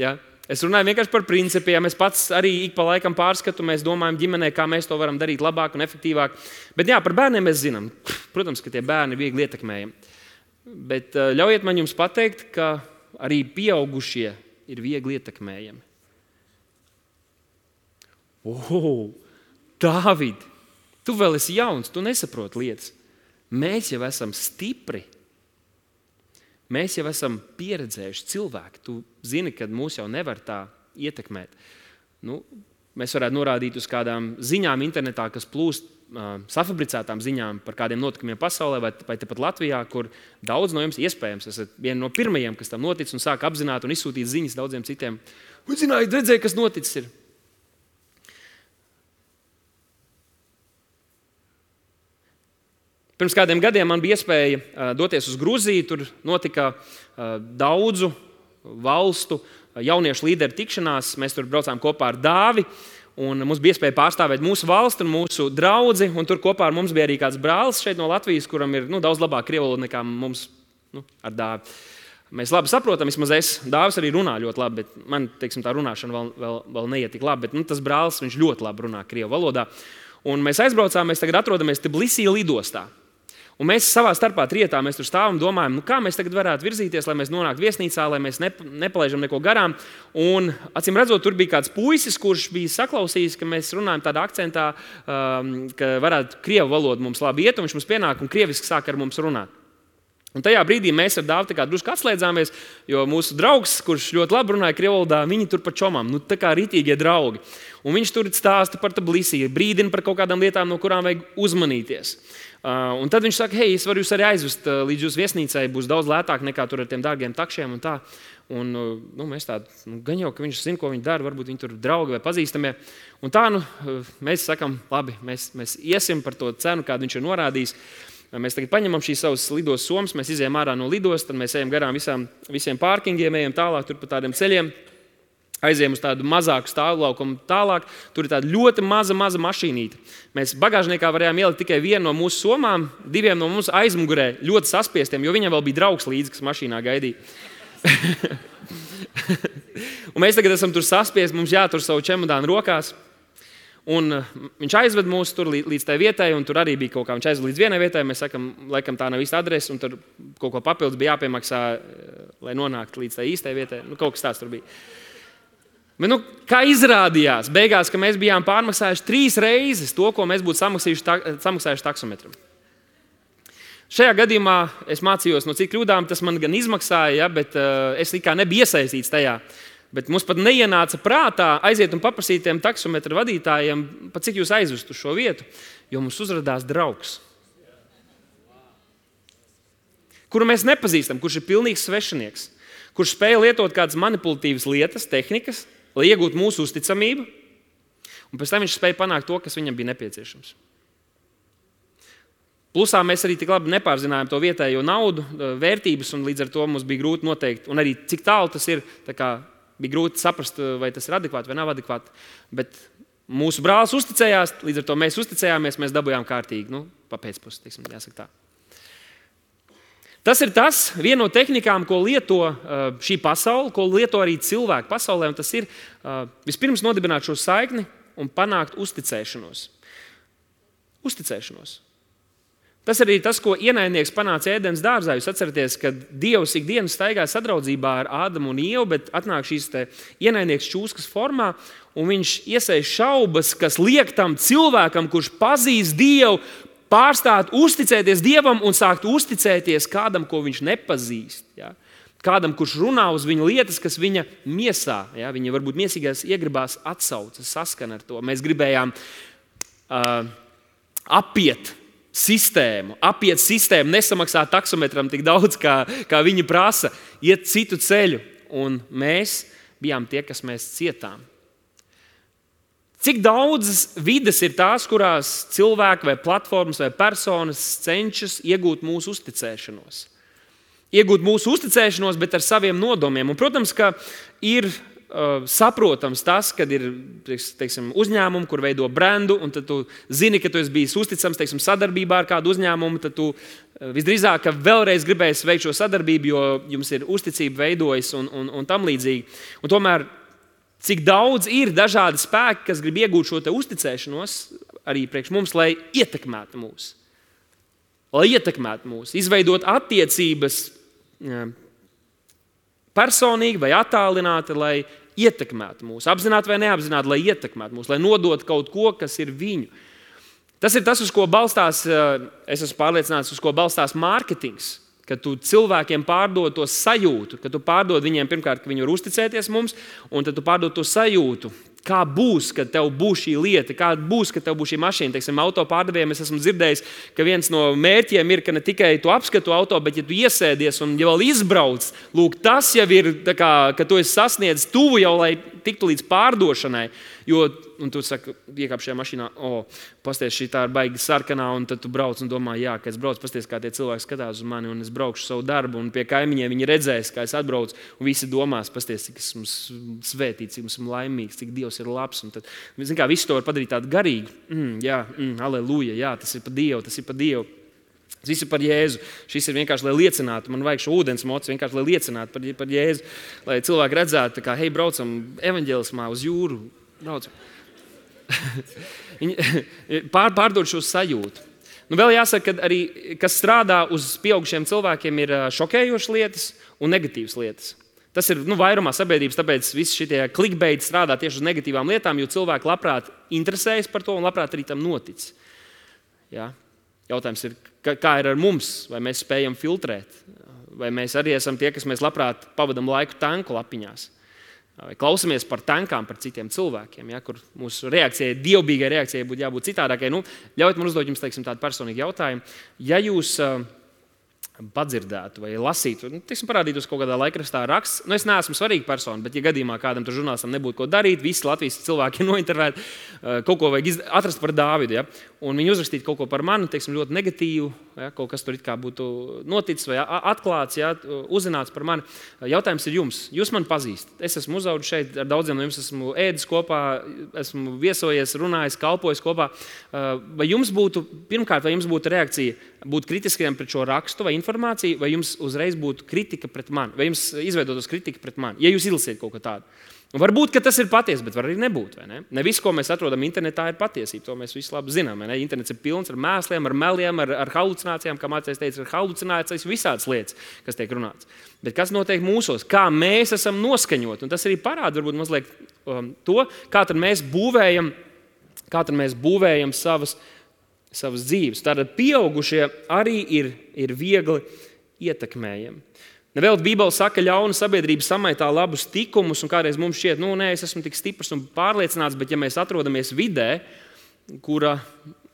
jā. Es runāju vienkārši par principiem, es pats arī ik pa laikam pārskatu, mēs domājam ģimenē, kā mēs to varam darīt labāk un efektīvāk. Bet jā, par bērniem mēs zinām, protams, ka tie bērni ir viegli ietekmējami. Bet ļaujiet man jums pateikt, ka arī pieaugušie ir viegli ietekmējami. Oh, Dāvid, tu vēl esi jauns, tu nesaproti lietas. Mēs jau esam stipri. Mēs jau esam pieredzējuši cilvēki. Tu zini, ka mūs jau nevar tā ietekmēt. Nu, mēs varētu norādīt uz kādām ziņām internetā, kas plūst uh, safabricētām ziņām par kādiem notikumiem pasaulē vai, vai tepat Latvijā, kur daudz no jums iespējams esat vieni no pirmajiem, kas tam notic un sāk apzināt un izsūtīt ziņas daudziem citiem. Un zināji, redzēja, kas noticis ir. Pirms kādiem gadiem man bija iespēja uh, doties uz Gruziju. Tur notika uh, daudzu valstu uh, jauniešu līderu tikšanās. Mēs tur braucām kopā ar Dāvi. Un mums bija iespēja pārstāvēt mūsu valsti un mūsu draudzi. Un tur kopā ar mums bija arī kāds brālis šeit no Latvijas, kuram ir nu, daudz labāk krievu valoda nekā mums nu, ar Dāvi. Mēs labi saprotam, vismaz es, Dāvis arī runā ļoti labi, bet man, teiksim, tā runāšana vēl, vēl, vēl neiet tik labi. Bet nu, tas brālis, viņš ļoti labi runā krievu valodā. Un mēs aizbraucām, mēs tagad atrodamies Tbilisī lidostā. Un mēs savā starpā trietā, mēs tur stāvam un domājam, nu, kā mēs tagad varētu virzīties, lai mēs nonāktu viesnīcā, lai mēs nep nepalaižam neko garām. Un, acīm redzot, tur bija kāds puisis, kurš bija saklausījis, ka mēs runājam tādā akcentā, um, ka varētu krievu valodu mums labi iet, un viņš mums pienāk un krieviski sāk ar mums runāt. Un tajā brīdī mēs ar Dāvu drusku atslēdzāmies, jo mūsu draugs, kurš ļoti labi runāja krievu valodā, viņi tur pa čomām, nu tā kā ritīgie draugi. Un viņš tur stāsta par Tbilisī, brīdina par kaut kādām lietām, no kurām vajag uzmanīties. Uh, un tad viņš saka, hei, es varu jūs arī aizvest uh, līdz jūsu viesnīcai, būs daudz lētāk nekā tur ar tiem dārgiem takšiem un tā. Un uh, nu, mēs tādu, nu, gan jau, ka viņš zina, ko viņi dara, varbūt viņi tur draugi vai pazīstamie. Un tā, nu, uh, mēs sakam, labi, mēs, mēs iesim par to cenu, kādu viņš ir norādījis. Mēs tagad paņemam šīs savas lidos somas, mēs izējām ārā no lidos, tad mēs ejam garām visām, visiem pārkingiem, ejam tālāk tur pa tādiem ceļiem, aizējam uz tādu mazāku stāvlaukumu tālāk, tur ir tāda ļoti maza, maza mašīnīte. Mēs bagāžniekā varējām ielikt tikai vienu no mūsu somām, diviem no mums aizmugurē ļoti saspiestiem, jo viņam vēl bija draugs līdzi, kas mašīnā gaidīja. Un mēs tagad esam tur saspiesti, mums jātur savu čemodānu rokās. Un viņš aizved mūs tur līdz tai vietai, un tur arī bija kaut kā, viņš aizved līdz vienai vietai, mēs sakam, laikam tā nav īsta adrese, un tur kaut ko papildus bija jāpiemaksā, lai nonāktu līdz tai īstai vietai. Nu, kaut kas tāds tur bija. Bet, nu, kā izrādījās, beigās, ka mēs bijām pārmaksājuši trīs reizes to, ko mēs būtu samaksājuši, ta, samaksājuši taksometram. Šajā gadījumā es mācījos no cik kļūdām, tas man gan izmaksāja, ja, bet uh, es kā nebiju iesaistīts tajā. Bet mums pat neienāca prātā aiziet un paprasīt tiem taksometra vadītājiem, pa cik jūs aizvestu šo vietu, jo mums uzradās draugs, kuru mēs nepazīstam, kurš ir pilnīgs svešinieks, kurš spēja lietot kādas manipulatīvas lietas, tehnikas, lai iegūtu mūsu uzticamību, un pēc tam viņš spēja panākt to, kas viņam bija nepieciešams. Plusā mēs arī tik labi nepārzinājām to vietējo naudu, vērtības, un līdz ar to mums bija grūti noteikt, un arī cik tālu tas ir, tā kā bija grūti saprast, vai tas ir adekvāti vai nav adekvāti. Bet mūsu brālis uzticējās, līdz ar to mēs uzticējāmies, mēs dabūjām kārtīgi, nu, pa pēcpusi, teiksim, jāsaka tā. Tas ir tas, viena no tehnikām, ko lieto šī pasaule, ko lieto arī cilvēki pasaulē, un tas ir vispirms nodibināt šo saikni un panākt uzticēšanos. Uzticēšanos. Tas arī tas, ko ienaidnieks panāca Ēdenes dārzā. Jūs atceraties, ka Dievs ikdienas staigā sadraudzībā ar Ādamu un Ievu, bet atnāk šīs te ienaidnieks čūskas formā, un viņš iesēž šaubas, kas liek tam cilvēkam, kurš pazīst Dievu, pārstāt uzticēties Dievam un sākt uzticēties kādam, ko viņš nepazīst. Ja? Kādam, kurš runā uz viņa lietas, kas viņa miesā, ja? Viņa varbūt miesīgās iegribās atsaucas, saskan ar to. Mēs gribējām uh, apiet sistēmu, apiet sistēmu, nesamaksāt taksometram tik daudz, kā, kā viņi prasa, iet citu ceļu. Un mēs bijām tie, kas mēs cietām. Cik daudzas vides ir tās, kurās cilvēki vai platformas vai personas cenšas iegūt mūsu uzticēšanos? Iegūt mūsu uzticēšanos, bet ar saviem nodomiem. Un, protams, ka ir Uh, saprotams tas, kad ir teiksim, uzņēmumi, kur veido brendu, un tad tu zini, ka tu esi bijis uzticams teiksim, sadarbībā ar kādu uzņēmumu, tad tu uh, visdrīzāk vēlreiz gribēsi veikt šo sadarbību, jo jums ir uzticība veidojas un, un, un tam līdzīgi. Un tomēr, cik daudz ir dažādi spēki, kas grib iegūt šo te uzticēšanos arī priekš mums, lai ietekmētu mūs. Lai ietekmētu mūs, izveidot attiecības jā, personīgi vai attālināti, lai ietekmētu mūs, apzināti vai neapzināti, lai ietekmētu mūs, lai nodotu kaut ko, kas ir viņu. Tas ir tas, uz ko balstās, es esmu pārliecināts, uz ko balstās mārketings, kad tu cilvēkiem pārdod to sajūtu, kad tu pārdod viņiem pirmkārt, ka viņi var uzticēties mums, un tad tu pārdod to sajūtu, kā būs, kad tev būs šī lieta, kā būs, kad tev būs šī mašīna. Teiksim, auto pārdevējiem es esmu dzirdējis, ka viens no mērķiem ir, ka ne tikai tu apskatu auto, bet ja tu iesēdies un ja vēl izbrauc, lūk, tas jau ir, tā kā, ka tu esi sasniedzis tuvu jau, lai tiktu līdz pārdošanai. Jo, un tu saki, iekāp šajā mašīnā, o, pasties, šī tā ir baigi sarkanā, un tad tu brauc un domā, jā, ka es braucu, pasties, kā tie cilvēki skatās uz mani, un es braukšu savu darbu, un pie kaimiņiem viņi redzēs, kā es atbraucu, un visi domās, pasties, cik esmu svētīts, cik esmu laimīgs, cik Dievs ir labs, un tad, zin kā, visu to var padarīt tādu garīgu, mm, jā, mm, aleluja, jā, tas ir pa Dievu, tas ir pa Dievu. Tas viss ir par Jēzu. Šis ir vienkārši, lai liecinātu, man vajag šo ūdens mocu, vienkārši, lai liecinātu par, par Jēzu, lai cilvēki redzētu, kā, hei, braucam evaņģēlismā uz jūru, braucam. Pār, pārdod šo sajūtu. Nu, vēl jāsaka, ka arī, kas strādā uz pieaugušiem cilvēkiem, ir šokējošas lietas un negatīvas lietas. Tas ir nu, vairumā sabiedrības, tāpēc visi šitie clickbait strādā tieši uz negatīvām lietām, jo cilvēki labprāt interesējas par to un labprāt arī tam notic. Ja? Jautājums ir, kā ir ar mums, vai mēs spējam filtrēt, vai mēs arī esam tie, kas mēs labprāt pavadam laiku tanku lapiņās, vai klausamies par tankām, par citiem cilvēkiem, ja, kur mūsu reakcijai, dievbijīgai reakcijai būtu jābūt citādākai. Nu, ļaujiet man uzdot jums, teiksim, tādu personīgu jautājumu. Ja jūs uh, padzirdētu vai lasītu, nu, teiksim, parādītos kaut kādā laikrakstā raksts, nu, es neesmu svarīga persona, bet ja gadījumā kādam tur žurnālistam nebūtu ko darīt, visi Latvijas cilvēki ir nointervēti, uh, kaut ko vajag iz... atrast par Dāvidu, ja, un viņi uzrakstītu kaut ko par mani, teiksim, ļoti negatīvu, ja, kaut kas tur it kā būtu noticis vai atklāts, ja, uzzināts par mani. Jautājums ir jums. Jūs mani pazīstat. Es esmu uzaudzis šeit, ar daudziem no jums esmu ēdis kopā, esmu viesojies, runājis, kalpojis kopā. Vai jums būtu, pirmkārt, vai jums būtu reakcija būt kritiskiem pret šo rakstu vai informāciju, vai jums uzreiz būtu kritika pret mani, vai jums izveidotos kritika pret mani, ja jūs izlasiet kaut ko tādu? Un varbūt, ka tas ir patiesi, bet var arī nebūt. Vai ne? Ne viss, ko mēs atrodam internetā, ir patiesība. To mēs visi labi zinām. Internets ir pilns ar mēsliem, ar meliem, ar, ar halucinācijām, kā mācējs teica, ar halucinācijas, visādas lietas, kas tiek runāts. Bet kas notiek mūsos? Kā mēs esam noskaņoti? Un tas arī parāda varbūt mazliet um, to, kā tad mēs būvējam, kā tad mēs būvējam savas, savas dzīves. Tātad pieaugušie arī ir, ir viegli ietekmējami. Nevēl Bībele saka, ka ļauna sabiedrība samaitā labus tikumus, un kādreiz mums šķiet, nu, nē, es esmu tik stiprs un pārliecināts, bet ja mēs atrodamies vidē, kura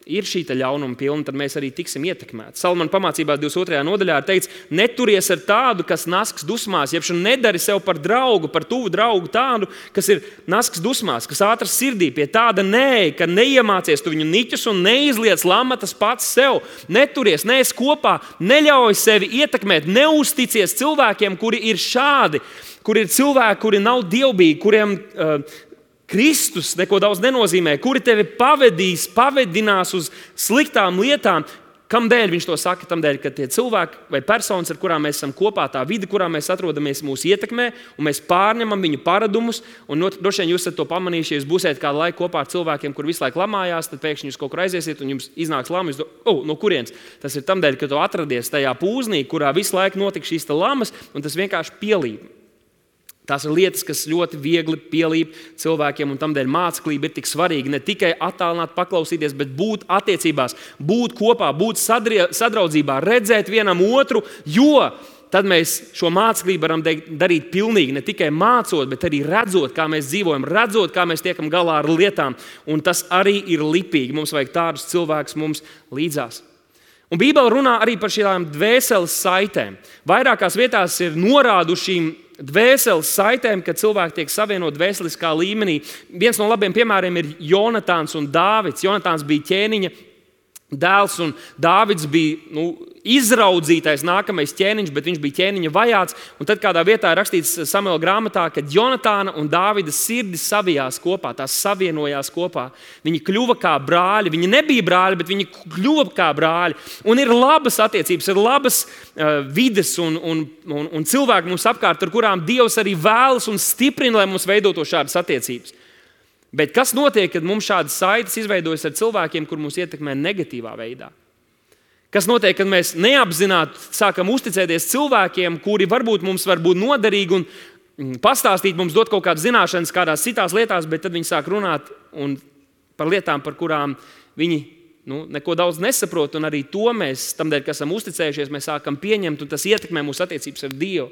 ir šī ļaunuma pilna, tad mēs arī tiksim ietekmēti. Salmana pamācībā divdesmit otrajā nodaļā teica, neturies ar tādu, kas nasks dusmās, jeb nedari sev par draugu, par tuvu draugu tādu, kas ir nasks dusmās, kas ātrs sirdī, pie tāda nē, ka neiemācies tu viņu niķus un neizliec lamatas pats sev. Neturies, neesi kopā, neļauj sevi ietekmēt, neusticies cilvēkiem, kuri ir šādi, kuri ir cilvēki, kuri nav dievbijīgi, kuriem uh, Kristus neko daudz nenozīmē, kuri tevi pavedīs, pavedinās uz sliktām lietām. Kamdēļ viņš to saka? Tamdēļ, ka tie cilvēki vai personas, ar kurām mēs esam kopā, tā vide, kurā mēs atrodamies, mūs ietekmē, un mēs pārņemam viņu paradumus, un droši vien jūs esat to pamanījuši, ja jūs būsiet kādu laiku kopā ar cilvēkiem, kur visu laiku lamājās, tad pēkšņi jūs kaut kur aiziesiet, un jums iznāks lama, jūs do, oh, no kurienes? Tas ir tamdēļ, ka tu atradies tajā pūznī, kurā visu laiku notika šīs lamas, un tas vienkārši pielīp. Tās ir lietas, kas ļoti viegli pielīp cilvēkiem, un tamdēļ māceklība ir tik svarīga. Ne tikai attālināt, paklausīties, bet būt attiecībās, būt kopā, būt sadraudzībā, redzēt vienam otru, jo tad mēs šo māceklību varam darīt pilnīgi, ne tikai mācot, bet arī redzot, kā mēs dzīvojam, redzot, kā mēs tiekam galā ar lietām. Un tas arī ir lipīgi. Mums vajag tādus cilvēkus mums līdzās. Un Bībele runā arī par šīm dvēseles saitēm. Vairākās vietās ir norādušīm dvēseles saitēm, kad cilvēki tiek savienot dvēseliskā līmenī. Viens no labiem piemēriem ir Jonatāns un Dāvids. Jonatāns bija ķēniņa dēls, un Dāvids bija nu, izraudzītais nākamais ķēniņš, bet viņš bija ķēniņa vajāts. Un tad kādā vietā ir rakstīts Samuela grāmatā, ka Jonatāna un Dāvida sirdis savijās kopā, tās savienojās kopā. Viņi kļuva kā brāļi. Viņi nebija brāļi, bet viņi kļuva kā brāļi. Un ir labas attiecības, ir labas uh, vides un, un, un, un cilvēki mums apkārt, ar kurām Dievs arī vēlas un stiprina, lai mums veidotu šādas attiecības. Bet kas notiek, kad mums šādas saites izveidojas ar cilvēkiem, kur mūs ietekmē negatīvā veidā? Kas notiek, kad mēs neapzināti sākam uzticēties cilvēkiem, kuri varbūt mums var būt noderīgi un pastāstīt, mums dot kaut kādas zināšanas kādās citās lietās, bet tad viņi sāk runāt un par lietām, par kurām viņi nu, neko daudz nesaprot, un arī to mēs, tamdēļ, ka esam uzticējušies, mēs sākam pieņemt, un tas ietekmē mūsu attiecības ar Dievu.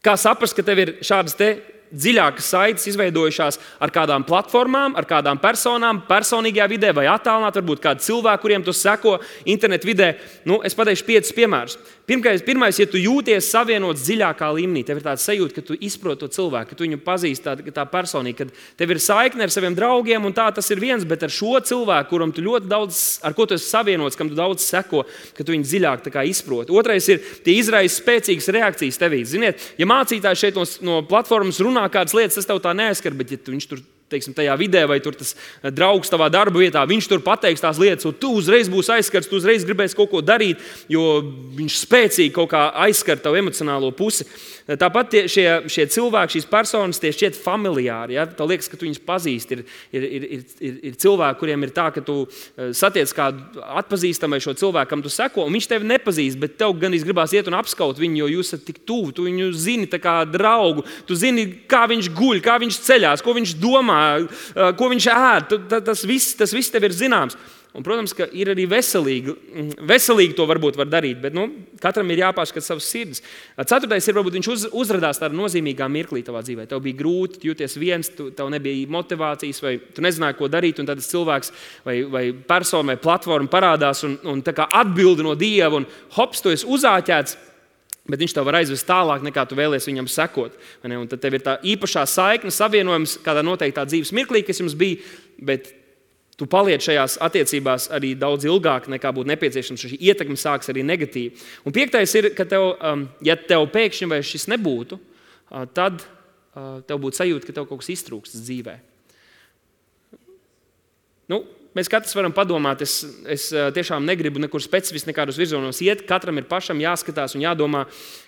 Kā saprast, ka tev ir šādas te dziļākas saites izveidojušās ar kādām platformām, ar kādām personām, personīgajā vidē vai attālināt, varbūt kādi cilvēki, kuriem tu seko internetu vidē. Nu, es pateikšu piecus piemērus. Pirmais, pirmais, ja tu jūties savienots dziļākā līmenī, tev ir tāds sajūta, ka tu izproti to cilvēku, ka tu viņu pazīsti tā, tā personīgi, ka tev ir saikne ar saviem draugiem, un tā tas ir viens, bet ar šo cilvēku, kuram tu ļoti daudz, ar ko tu esi savienots, kam tu daudz seko, ka tu viņu dziļāk tā kā izproti. Otrais ir, tie izraisa spēcīgas reakcijas tevī. Ziniet, ja mācītājs šeit no, no platformas runā kādas lietas, tas tev tā neaizskar, bet ja tu, viņš tur teiksim, tajā vidē, vai tur tas draugs tavā darba vietā, viņš tur pateiks tās lietas, un tu uzreiz būsi aizskarts, tu uzreiz gribēsi kaut ko darīt, jo viņš spēcīgi kaut kā aizskar tavu emocionālo pusi. Tāpat tie, šie, šie cilvēki, šīs personas, tie šķiet familiāri. Ja? Tev liekas, ka tu viņus pazīsti. Ir, ir, ir, ir, ir cilvēki, kuriem ir tā, ka tu satiec kādu atpazīstamu vai šo cilvēku, kam tu seko, un viņš tevi nepazīst, bet tev gan gribās iet un apskaut viņu, jo jūs esat tik tuvu, tu viņu zini tā kā draugu, tu zini, kā viņš guļ, kā viņš ceļās, ko viņš domā, ko viņš ēd. Tas viss, tas viss tev ir zināms. Un, protams, ka ir arī veselīgi. Veselīgi to varbūt var darīt, bet nu, katram ir jāpārskata savas sirds. Ceturtais ir, varbūt viņš uz, uzradās tādā nozīmīgā mirklī tavā dzīvē. Tev bija grūti, tu jūties viens, tu, tev nebija motivācijas, vai tu nezināji, ko darīt, un tad tas cilvēks vai, vai persona vai platforma parādās un, un tā kā atbildi no Dieva, un hops, tu esi uzāķēts, bet viņš tev var aizvest tālāk, nekā tu vēlies viņam sekot. Un tad tev ir tā īpašā saikne, savienojums kādā noteiktā dzīves mirklī, kas jums bija, bet tu paliec šajās attiecībās arī daudz ilgāk, nekā būtu nepieciešams. Šī ietekme sāks arī negatīvi. Un piektais ir, ka tev, ja tev pēkšņi vairs šis nebūtu, tad tev būtu sajūta, ka tev kaut kas iztrūkst dzīvē. Nu, mēs katrs varam padomāt, es, es tiešām negribu nekur specifiski nekādos virzienos iet. Katram ir pašam jāskatās un jādomā,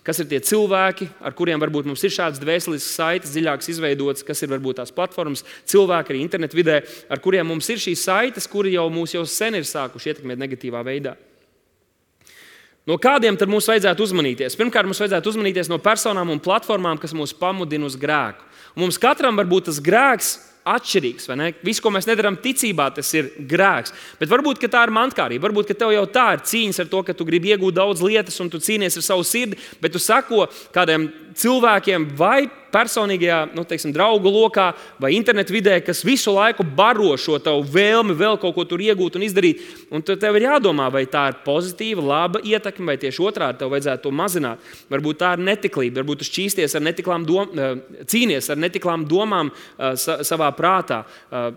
kas ir tie cilvēki, ar kuriem varbūt mums ir šāds dvēselisks saites, dziļāks izveidots, kas ir varbūt tās platformas, cilvēki arī internetu vidē, ar kuriem mums ir šīs saites, kuri jau mūs jau sen ir sākuši ietekmēt negatīvā veidā. No kādiem tad mums vajadzētu uzmanīties? Pirmkārt, mums vajadzētu uzmanīties no personām un platformām, kas mūs pamudina uz grēku. Un mums katram var būt tas grēks atšķirīgs, vai ne? Viss, ko mēs nedarām ticībā, tas ir grēks. Bet varbūt, ka tā ir mantkārība. Varbūt, ka tev jau tā ir cīņas ar to, ka tu gribi iegūt daudz lietas un tu cīnies ar savu sirdi, bet tu sako kādiem cilvēkiem vai personīgajā, nu, teiksim, draugu lokā vai internetu vidē, kas visu laiku baro šo tavu vēlmi vēl kaut ko tur iegūt un izdarīt. Un tev ir jādomā, vai tā ir pozitīva, laba ietekme, vai tieši otrādi tev vajadzētu to mazināt. Varbūt tā ir netiklība, varbūt tu šķīsties ar netiklām dom, cīnies ar netiklām domām savā prātā.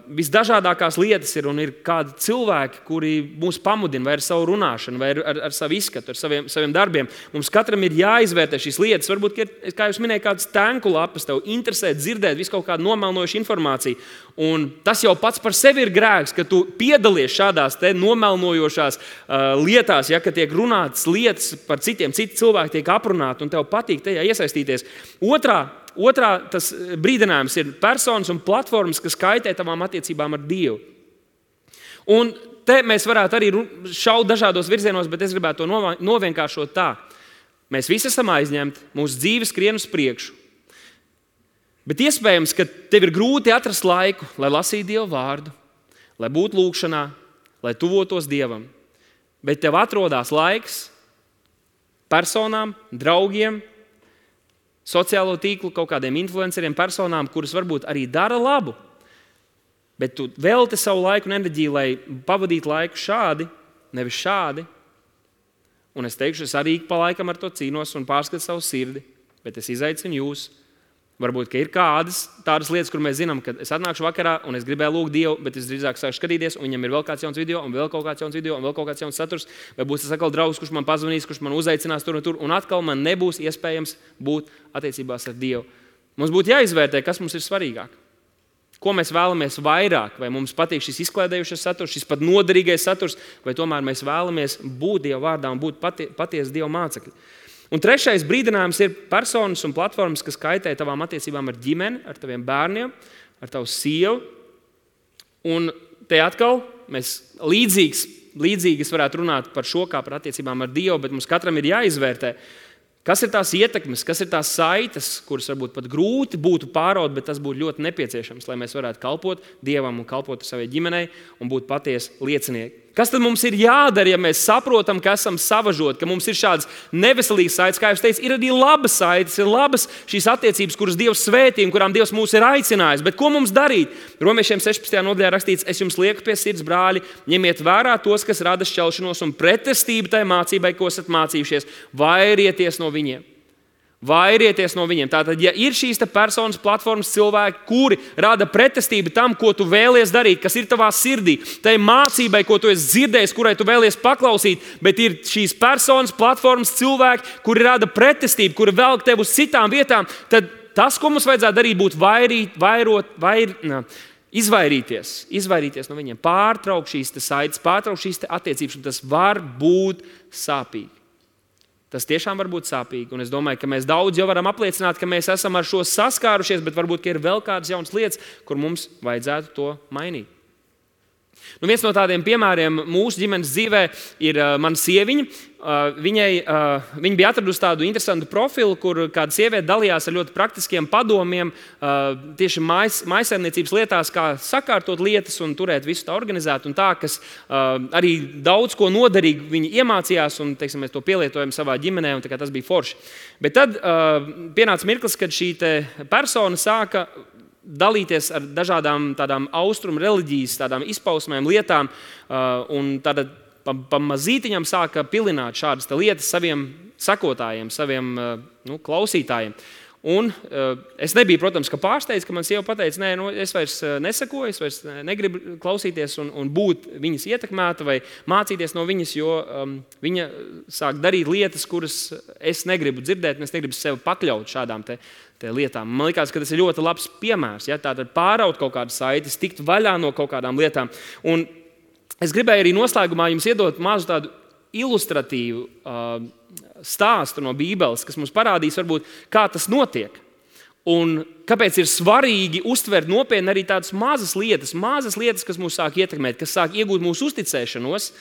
Visdažādākās lietas ir un ir kādi cilvēki, kuri mūs pamudina vai ar savu runāšanu, vai ar, ar, ar savu izskatu, ar saviem, saviem darbiem. Mums katram ir jāizvērtē šīs lietas. Varbūt, ka ir, kā jūs minējāt, kāds tenku lapas, tev interesē dzirdēt visu kaut kādu nomelnojušu informāciju. Un tas jau pats par sevi ir grēks, ka tu piedalies šādās te nomelnojošās uh, lietās, ja, ka tiek runātas lietas par citiem, citi cilvēki tiek aprunāti un tev patīk tajā iesaistīties. Otrā, otrā tas brīdinājums ir personas un platformas, kas kaitē tavām attiecībām ar Dievu. Un te mēs varētu arī šaut dažādos virzienos, bet es gribētu to novienkāršot tā. Mēs visi esam aizņemti, mūsu dzīve skrien uz priekšu. Bet iespējams, ka tev ir grūti atrast laiku, lai lasītu Dieva vārdu, lai būtu lūkšanā, lai tuvotos Dievam. Bet tev atrodas laiks personām, draugiem, sociālo tīklu, kaut kādiem influenceriem, personām, kuras varbūt arī dara labu. Bet tu velti savu laiku un enerģiju, lai pavadītu laiku šādi, nevis šādi. Un es teikšu, es arī pa laikam ar to cīnos un pārskatu savu sirdi, bet es izaicinu jūs. Varbūt, ka ir kādas tādas lietas, kur mēs zinām, ka es atnākšu vakarā un es gribēju lūgt Dievu, bet es drīzāk sāku skatīties, un viņam ir vēl kāds jauns video, un vēl kaut kāds jauns video, un vēl kaut kāds jauns saturs, vai būs tas atkal draugs, kurš man pazvanīs, kurš man uzaicinās tur un tur, un atkal man nebūs iespējams būt attiecībās ar Dievu. Mums būtu jāizvērtē, kas mums ir svarīgāk. Ko mēs vēlamies vairāk, vai mums patīk šis izklaidējušais saturs, šis pat noderīgais saturs, vai tomēr mēs vēlamies būt Dieva vārdā un būt pati, patiesi Dieva mācekļi. Un trešais brīdinājums ir personas un platformas, kas kaitē tavām attiecībām ar ģimeni, ar taviem bērniem, ar tavu sievu. Un te atkal mēs līdzīgs, līdzīgas varētu runāt par šo kā par attiecībām ar Dievu, bet mums katram ir jāizvērtē, kas ir tās ietekmes, kas ir tās saites, kuras varbūt pat grūti būtu pāraut, bet tas būtu ļoti nepieciešams, lai mēs varētu kalpot Dievam un kalpot savai ģimenei un būt patiesi liecinieki. Kas tad mums ir jādara, ja mēs saprotam, ka esam savažoti, ka mums ir šādas neveselīgas saites? Kā jau teicu, ir arī labas saites, ir labas šīs attiecības, kuras Dievs svētī un kurām Dievs mūs ir aicinājis. Bet ko mums darīt? Romiešiem sešpadsmitajā nodaļā rakstīts, es jums lieku pie sirds, brāļi, ņemiet vērā tos, kas rada šķelšanos un pretestību tai mācībai, ko esat mācījušies, vairieties no viņiem. Vairieties no viņiem. Tātad, ja ir šīs personas, platformas, cilvēki, kuri rada pretestību tam, ko tu vēlies darīt, kas ir tavā sirdī, tai mācībai, ko tu esi dzirdējis, kurai tu vēlies paklausīt, bet ir šīs personas, platformas, cilvēki, kuri rada pretestību, kuri velk tevi uz citām vietām, tad tas, ko mums vajadzētu darīt, būtu vairīt, vairot, vair, nā, izvairīties, izvairīties no viņiem, pārtraukt šīs saites, pārtraukt šīs attiecības, un tas var būt sāpīgi. Tas tiešām var būt sāpīgi, un es domāju, ka mēs daudz jau varam apliecināt, ka mēs esam ar šo saskārušies, bet varbūt ir vēl kādas jaunas lietas, kur mums vajadzētu to mainīt. Nu, viens no tādiem piemēriem mūsu ģimenes dzīvē ir uh, mana sieviņa. Uh, viņai, uh, viņa bija atradusi tādu interesantu profilu, kur kāda sieviete dalījās ar ļoti praktiskiem padomiem uh, tieši mājas, mājsaimniecības lietās, kā sakārtot lietas un turēt visu tā organizēt. Un tā, kas uh, arī daudz ko noderīgi viņi iemācījās, un teiksim, mēs to pielietojam savā ģimenē, un tas bija forši. Bet tad uh, pienāca mirklis, kad šī persona sāka dalīties ar dažādām tādām austrumu reliģijas, tādām izpausmēm, lietām, uh, un tāda pa, pa mazītiņam sāka pilināt šādas lietas saviem sekotājiem, saviem uh, nu, klausītājiem. Un uh, es nebiju, protams, ka pārsteidz, ka man sieva pateica, nē, nu, es vairs nesakoju, es vairs negribu klausīties un, un būt viņas ietekmēta vai mācīties no viņas, jo um, viņa sāk darīt lietas, kuras es negribu dzirdēt, un es negribu sevi pakļaut šādām te lietām. Man liekas, ka tas ir ļoti labs piemērs. Ja? Tātad pāraut kaut kādas saites, tikt vaļā no kaut kādām lietām. Un es gribēju arī noslēgumā jums iedot mazu tādu ilustratīvu uh, stāstu no Bībeles, kas mums parādīs, varbūt, kā tas notiek. Un kāpēc ir svarīgi uztvert nopietni arī tādas mazas lietas, mazas lietas, kas mūs sāk ietekmēt, kas sāk iegūt mūsu uzticēšanos,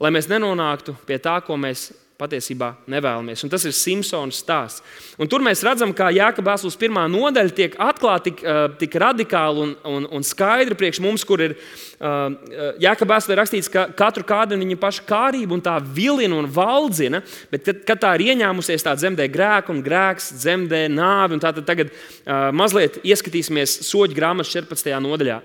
lai mēs nenonāktu pie tā, ko mēs patiesībā nevēlamies. Un tas ir Simpsona stāsts. Un tur mēs redzam, kā Jākaba vēstules pirmā nodaļa tiek atklāta tik, tik radikāli un, un, un skaidri priekš mums, kur ir Jākaba vēstulē rakstīts, ka katru kādina viņa paša kārība un tā vilina un valdzina, bet kad, kad tā ir ieņēmusies, tā dzemdē grēku un grēks dzemdē nāvi. Un tātad tagad uh, mazliet ieskatīsimies Soļu grāmatas četrpadsmitajā nodaļā.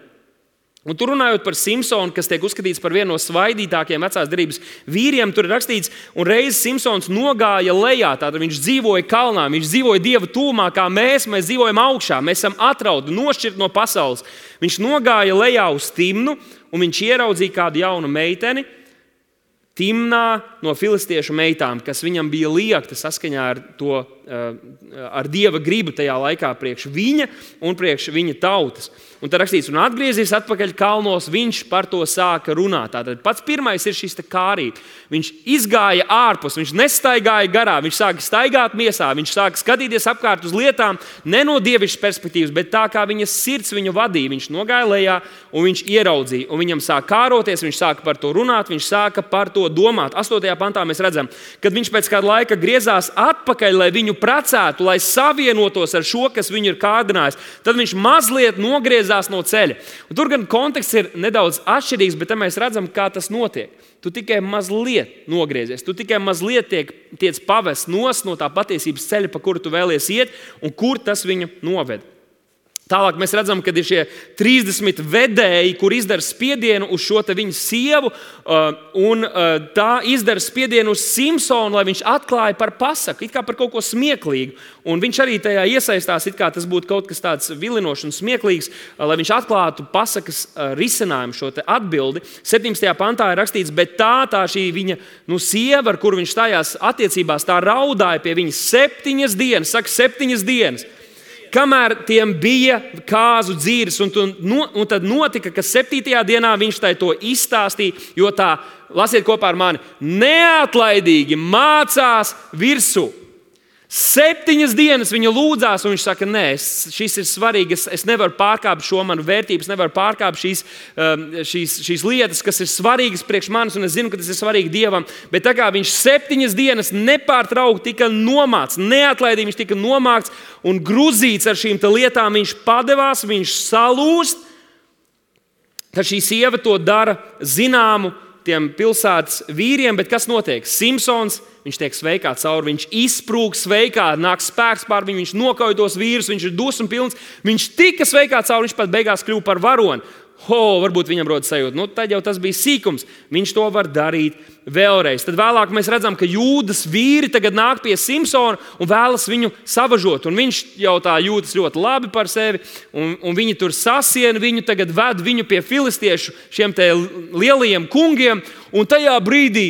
Un tur runājot par Simpsonu, kas tiek uzskatīts par vienu no svaidītākajiem vecās derības vīriem, tur ir rakstīts, un reiz Simpsons nogāja lejā, tātad viņš dzīvoja kalnā, viņš dzīvoja Dieva tūmā, kā mēs, mēs dzīvojam augšā, mēs esam atrauti, nošķirt no pasaules. Viņš nogāja lejā uz Timnu, un viņš ieraudzīja kādu jaunu meiteni, Timnā no filistiešu meitām, kas viņam bija liekta saskaņā ar, to, ar Dieva gribu tajā laikā priekš viņa un priekš viņa tautas. Un tad rakstīts, un atgriezies atpakaļ kalnos, viņš par to sāka runāt. Tātad pats pirmais ir šis kārība. Viņš izgāja ārpus, viņš nestaigāja garā, viņš sāka staigāt miesā, viņš sāka skatīties apkārt uz lietām ne no dievišķas perspektīvas, bet tā kā viņas sirds viņu vadīja. Viņš nogāja lejā un viņš ieraudzīja, un viņam sāka kāroties, viņš sāka par to runāt, viņš sāka par to domāt. astotajā pantā mēs redzam, kad viņš pēc kāda laika griezās atpakaļ, lai viņu precētu, lai savienotos ar šo, kas viņu ir kārdinājis. Tad viņš mazliet nogriezās no ceļa. Un tur gan konteksts ir nedaudz atšķirīgs, bet mēs redzam, kā tas notiek. Tu tikai mazliet nogriezies, tu tikai mazliet tiek, tiec pavest nos no tā patiesības ceļa, pa kuru tu vēlies iet, un kur tas viņu noved. Tālāk mēs redzam, ka ir šie trīsdesmit vedēji, kur izdara spiedienu uz šo viņa sievu, un tā izdara spiedienu uz Simpsonu, lai viņš atklāja par pasaku, it kā par kaut ko smieklīgu. Un viņš arī tajā iesaistās, it kā tas būtu kaut kas tāds vilinošs un smieklīgs, lai viņš atklātu pasakas risinājumu, šo atbildi. septiņpadsmitajā pantā ir rakstīts, bet tā, tā šī viņa nu, sieva, ar kuru viņš stājās attiecībās, tā raudāja pie viņas septiņas dienas, saka septiņas dienas. Kamēr tiem bija kāzu dzīves, un, un, un tad notika, ka septītajā dienā viņš tai to izstāstīja, jo tā, lasiet kopā ar mani, neatlaidīgi mācās virsū. Septiņas dienas viņa lūdzās, un viņš saka, nē, šis ir svarīgi, es, es nevaru pārkāpt šo manu vērtību, es nevaru pārkāpt šīs, šīs, šīs lietas, kas ir svarīgas priekš manis, un es zinu, ka tas ir svarīgi Dievam. Bet tā kā viņš septiņas dienas nepārtraukti tika nomāts, neatlaidīgi viņš tika nomākts un gruzīts ar šīm lietām, viņš padevās, viņš salūst, tad šī sieva to dara zināmu tiem pilsētas vīriem, bet kas notiek? Simpsons, viņš tiek sveikā cauri, viņš izsprūg sveikā, nāk spēks pār viņu, viņš nokauj tos vīrus, viņš ir dusmu pilns, viņš tika sveikā cauri, viņš pat beigās kļuva par varoni. Ho, varbūt viņam rodas sajūta, nu tad jau tas bija sīkums, viņš to var darīt vēlreiz. Tad vēlāk mēs redzam, ka Jūdas vīri tagad nāk pie Simpsona un vēlas viņu savažot, un viņš jau tā jūtas ļoti labi par sevi, un, un viņi tur sasien viņu, tagad ved viņu pie filistiešu šiem te lielajiem kungiem, un tajā brīdī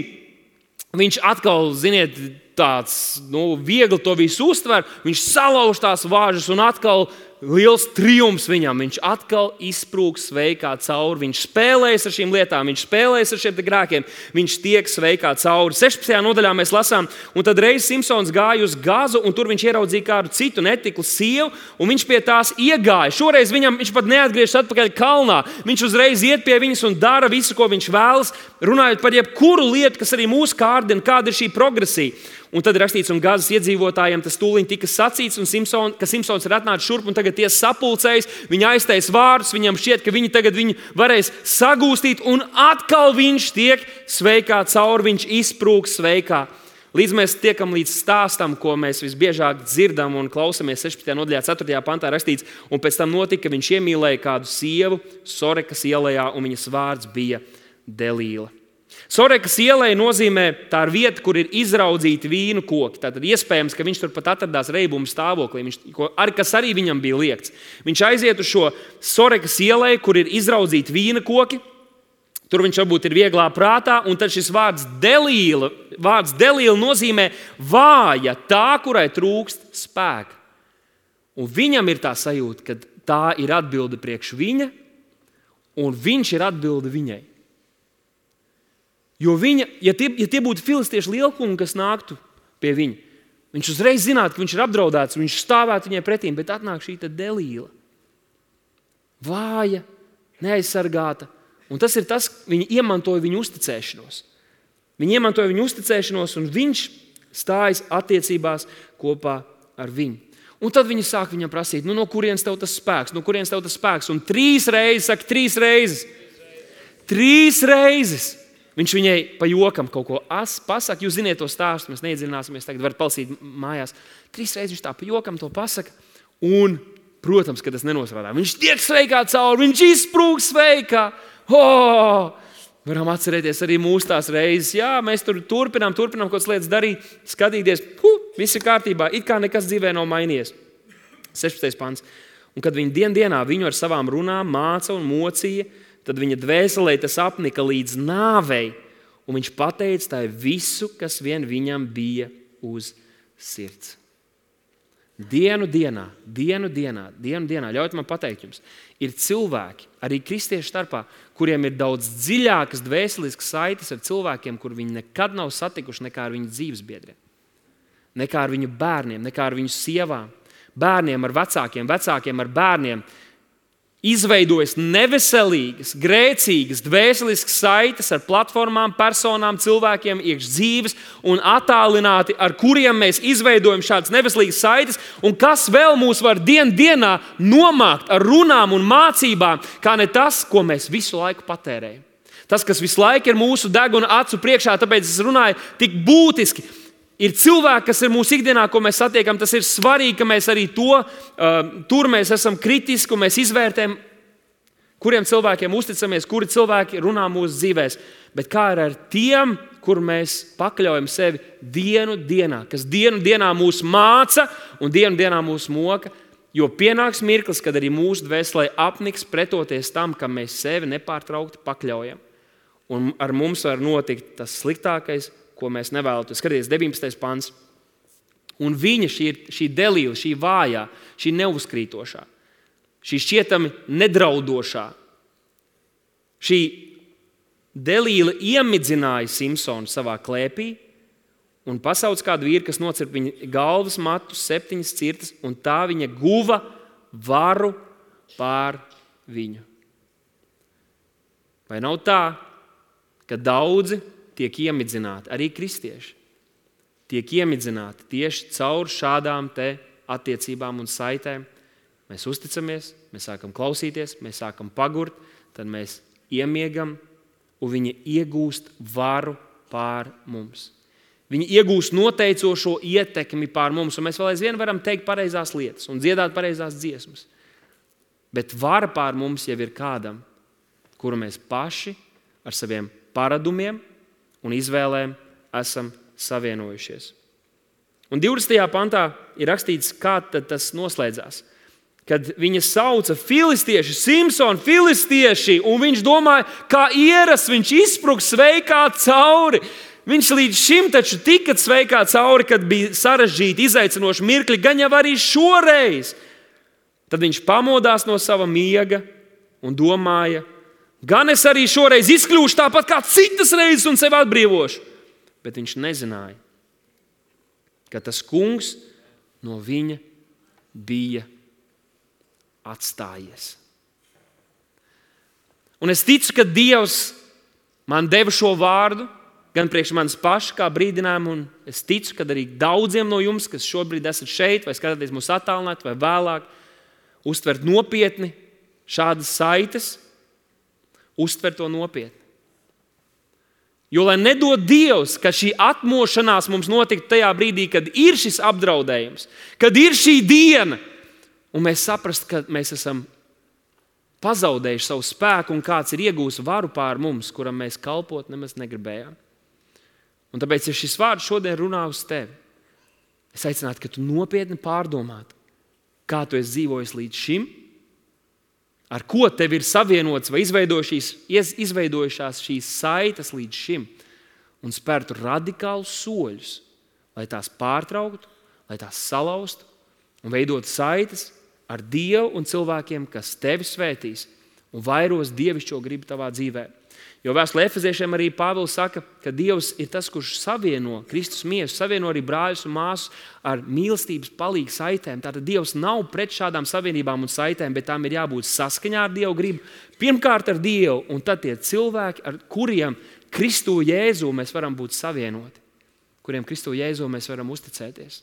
viņš atkal, ziniet, tāds nu, viegli to visu uztver, viņš salauž tās vāžas un atkal liels triumfs viņam. Viņš atkal izsprūg sveikā cauri. Viņš spēlējas ar šīm lietām, viņš spēlējas ar šiem grēkiem. Viņš tiek sveikā cauri. sešpadsmitajā nodaļā mēs lasām, un tad reiz Simpsons gāja uz Gazu, un tur viņš ieraudzīja kādu citu netiklu sievu, un viņš pie tās iegāja. Šoreiz viņam, viņš pat neatgriežas atpakaļ kalnā. Viņš uzreiz iet pie viņas un dara visu, ko viņš vēlas, runājot par jebkuru lietu, kas arī mūs kārdina, kāda ir šī progresija. Un tad rakstīts, un Gazas iedzīvotājiem tas tūliņ tika sacīts, un Simpson, ka Simpsons ir atnācis šurp, un tagad tie sapulcējas, viņi aiztais vārdus, viņam šķiet, ka viņi tagad viņu varēs sagūstīt, un atkal viņš tiek sveikā cauri, viņš izsprūg sveikā. Līdz mēs tiekam līdz stāstam, ko mēs visbiežāk dzirdam un klausamies sešpadsmitajā nodaļā, ceturtajā pantā rakstīts, un pēc tam notika, ka viņš iemīlēja kādu sievu Sorekas ielā, un viņas vārds bija Delīla. Sorekas ielai nozīmē tā ir vieta, kur ir izraudzīti vīnu koki. Tātad iespējams, ka viņš tur pat atradās reibuma stāvoklī, viņš, ar, kas arī viņam bija liegts. Viņš aiziet uz šo Sorekas ielai, kur ir izraudzīti vīna koki. Tur viņš varbūt ir vieglā prātā, un tad šis vārds Delīla, vārds Delīla nozīmē vāja, tā, kurai trūkst spēka. Un viņam ir tā sajūta, ka tā ir atbilde priekš viņa, un viņš ir atbilde viņai. Jo viņa, ja tie, ja tie būtu filistiešu lielkungi, kas nāktu pie viņa, viņš uzreiz zinātu, ka viņš ir apdraudēts, viņš stāvētu viņai pretīm, bet atnāk šī Delīla. Vāja, neaizsargāta. Un tas ir tas, viņi iemantoja viņu uzticēšanos. Viņi iemantoja viņu uzticēšanos, un viņš stājas attiecībās kopā ar viņu. Un tad viņi sāk viņam prasīt, nu, no kurienes tev tas spēks, no kurienes tev tas spēks. Un trīs reizes, saka, trīs reizes. Trīs reizes. Viņš viņai pa jokam kaut ko pasaka. Jūs ziniet to stāstu, mēs neiedziļināsimies, tagad varat palasīt mājās. Trīs reizes viņš tā pa jokam to pasaka. Un, protams, ka tas nenosrādā. Viņš tiek sveikā cauri, viņš izsprūg sveikā. Oh! Varam atcerēties arī mūsu tās reizes. Jā, mēs tur turpinām, turpinām kaut kādas lietas darīt, skatīties. Huh, viss ir kārtībā, it kā nekas dzīvē nav mainījies. sešpadsmitais pants. Un kad viņi dien dienā viņu ar savām runām māca un mocīja, tad viņa dvēselē tas apnika līdz nāvei, un viņš pateica tai visu, kas vien viņam bija uz sirds. Dienu dienā, dienu dienā, dienu dienā, ļaujiet man pateikt jums, ir cilvēki, arī kristiešu starpā, kuriem ir daudz dziļākas dvēseliskas saites ar cilvēkiem, kur viņi nekad nav satikuši nekā ar viņu dzīvesbiedriem, nekā ar viņu bērniem, nekā ar viņu sievām, bērniem ar vecākiem, vecākiem ar bērniem. Izveidojas neveselīgas, grēcīgas, dvēseliskas saites ar platformām, personām, cilvēkiem iekš dzīves un attālināti, ar kuriem mēs izveidojam šādas neveselīgas saites. Un kas vēl mūs var dien dienā nomākt ar runām un mācībām, kā ne tas, ko mēs visu laiku patērējam. Tas, kas visu laiku ir mūsu deguna acu priekšā, tāpēc es runāju tik būtiski. Ir cilvēki, kas ir mūsu ikdienā, ko mēs satiekam, tas ir svarīgi, ka mēs arī to, uh, tur mēs esam kritiski un mēs izvērtējam, kuriem cilvēkiem uzticamies, kuri cilvēki runā mūsu dzīvēs. Bet kā ir ar tiem, kur mēs pakļaujam sevi dienu dienā, kas dienu dienā mūs māca un dienu dienā mūs moka, jo pienāks mirklis, kad arī mūsu dvēselē apniks pretoties tam, kam mēs sevi nepārtraukti pakļaujam. Un ar mums var notikt tas sliktākais, ko mēs nevēlamies. Skaties, deviņpadsmitais pants. Un viņa, šī, šī Delīla, šī vājā, šī neuzkrītošā, šī šķietami nedraudošā, šī Delīla iemidzināja Simpsonu savā klēpī un pasauc kādu vīru, kas nocirp viņa galvas matus, septiņas cirtas, un tā viņa guva varu pār viņu. Vai nav tā, ka daudzi tiek iemidzināti, arī kristieši, tiek iemidzināti tieši caur šādām te attiecībām un saitēm. Mēs uzticamies, mēs sākam klausīties, mēs sākam pagurt, tad mēs iemiegam, un viņi iegūst varu pār mums. Viņi iegūst noteicošo ietekmi pār mums, un mēs vēl aizvien varam teikt pareizās lietas un dziedāt pareizās dziesmas. Bet vara pār mums jau ir kādam, kuru mēs paši ar saviem paradumiem un izvēlēm esam savienojušies. Un divdesmitajā pantā ir rakstīts, kā tas noslēdzās. Kad viņa sauca filistieši, Simpsonu filistieši, un viņš domāja, kā ierasts, viņš izspruks sveikā cauri. Viņš līdz šim taču tika sveikā cauri, kad bija sarežģīti, izaicinoši mirkļi, gan jau arī šoreiz. Tad viņš pamodās no sava miega un domāja, gan es arī šoreiz izkļūšu tāpat kā citas reizes un sevi atbrīvošu. Bet viņš nezināja, ka tas kungs no viņa bija atstājies. Un es ticu, ka Dievs man deva šo vārdu, gan priekš manis paša kā brīdinājumu, un es ticu, ka arī daudziem no jums, kas šobrīd esat šeit, vai skatāties mūs attālināt, vai vēlāk, uztvert nopietni šādas saites, uztvert to nopietni. Jo, lai nedod Dievs, ka šī atmošanās mums notiktu tajā brīdī, kad ir šis apdraudējums, kad ir šī diena, un mēs saprast, ka mēs esam pazaudējuši savu spēku un kāds ir iegūs varu pār mums, kuram mēs kalpot nemaz negribējām. Un tāpēc, ja šis vārds šodien runā uz tevi, es aicinātu, ka tu nopietni pārdomātu, kā tu esi dzīvojis līdz šim, ar ko tev ir savienots vai izveidojušās šīs saites līdz šim, un spērtu radikālus soļus, lai tās pārtrauktu, lai tās salauztu un veidotu saites ar Dievu un cilvēkiem, kas tevi svētīs un vairos dievišķo gribu tavā dzīvē. Jo vēstulē Efeziešiem arī Pāvils saka, ka Dievs ir tas, kurš savieno Kristus miesu, savieno arī brāļus un māsas ar mīlestības palīgu saitēm. Tātad Dievs nav pret šādām savienībām un saitēm, bet tām ir jābūt saskaņā ar Dievu gribu. Pirmkārt ar Dievu, un tad tie cilvēki, ar kuriem Kristu Jēzu mēs varam būt savienoti, kuriem Kristu Jēzu mēs varam uzticēties.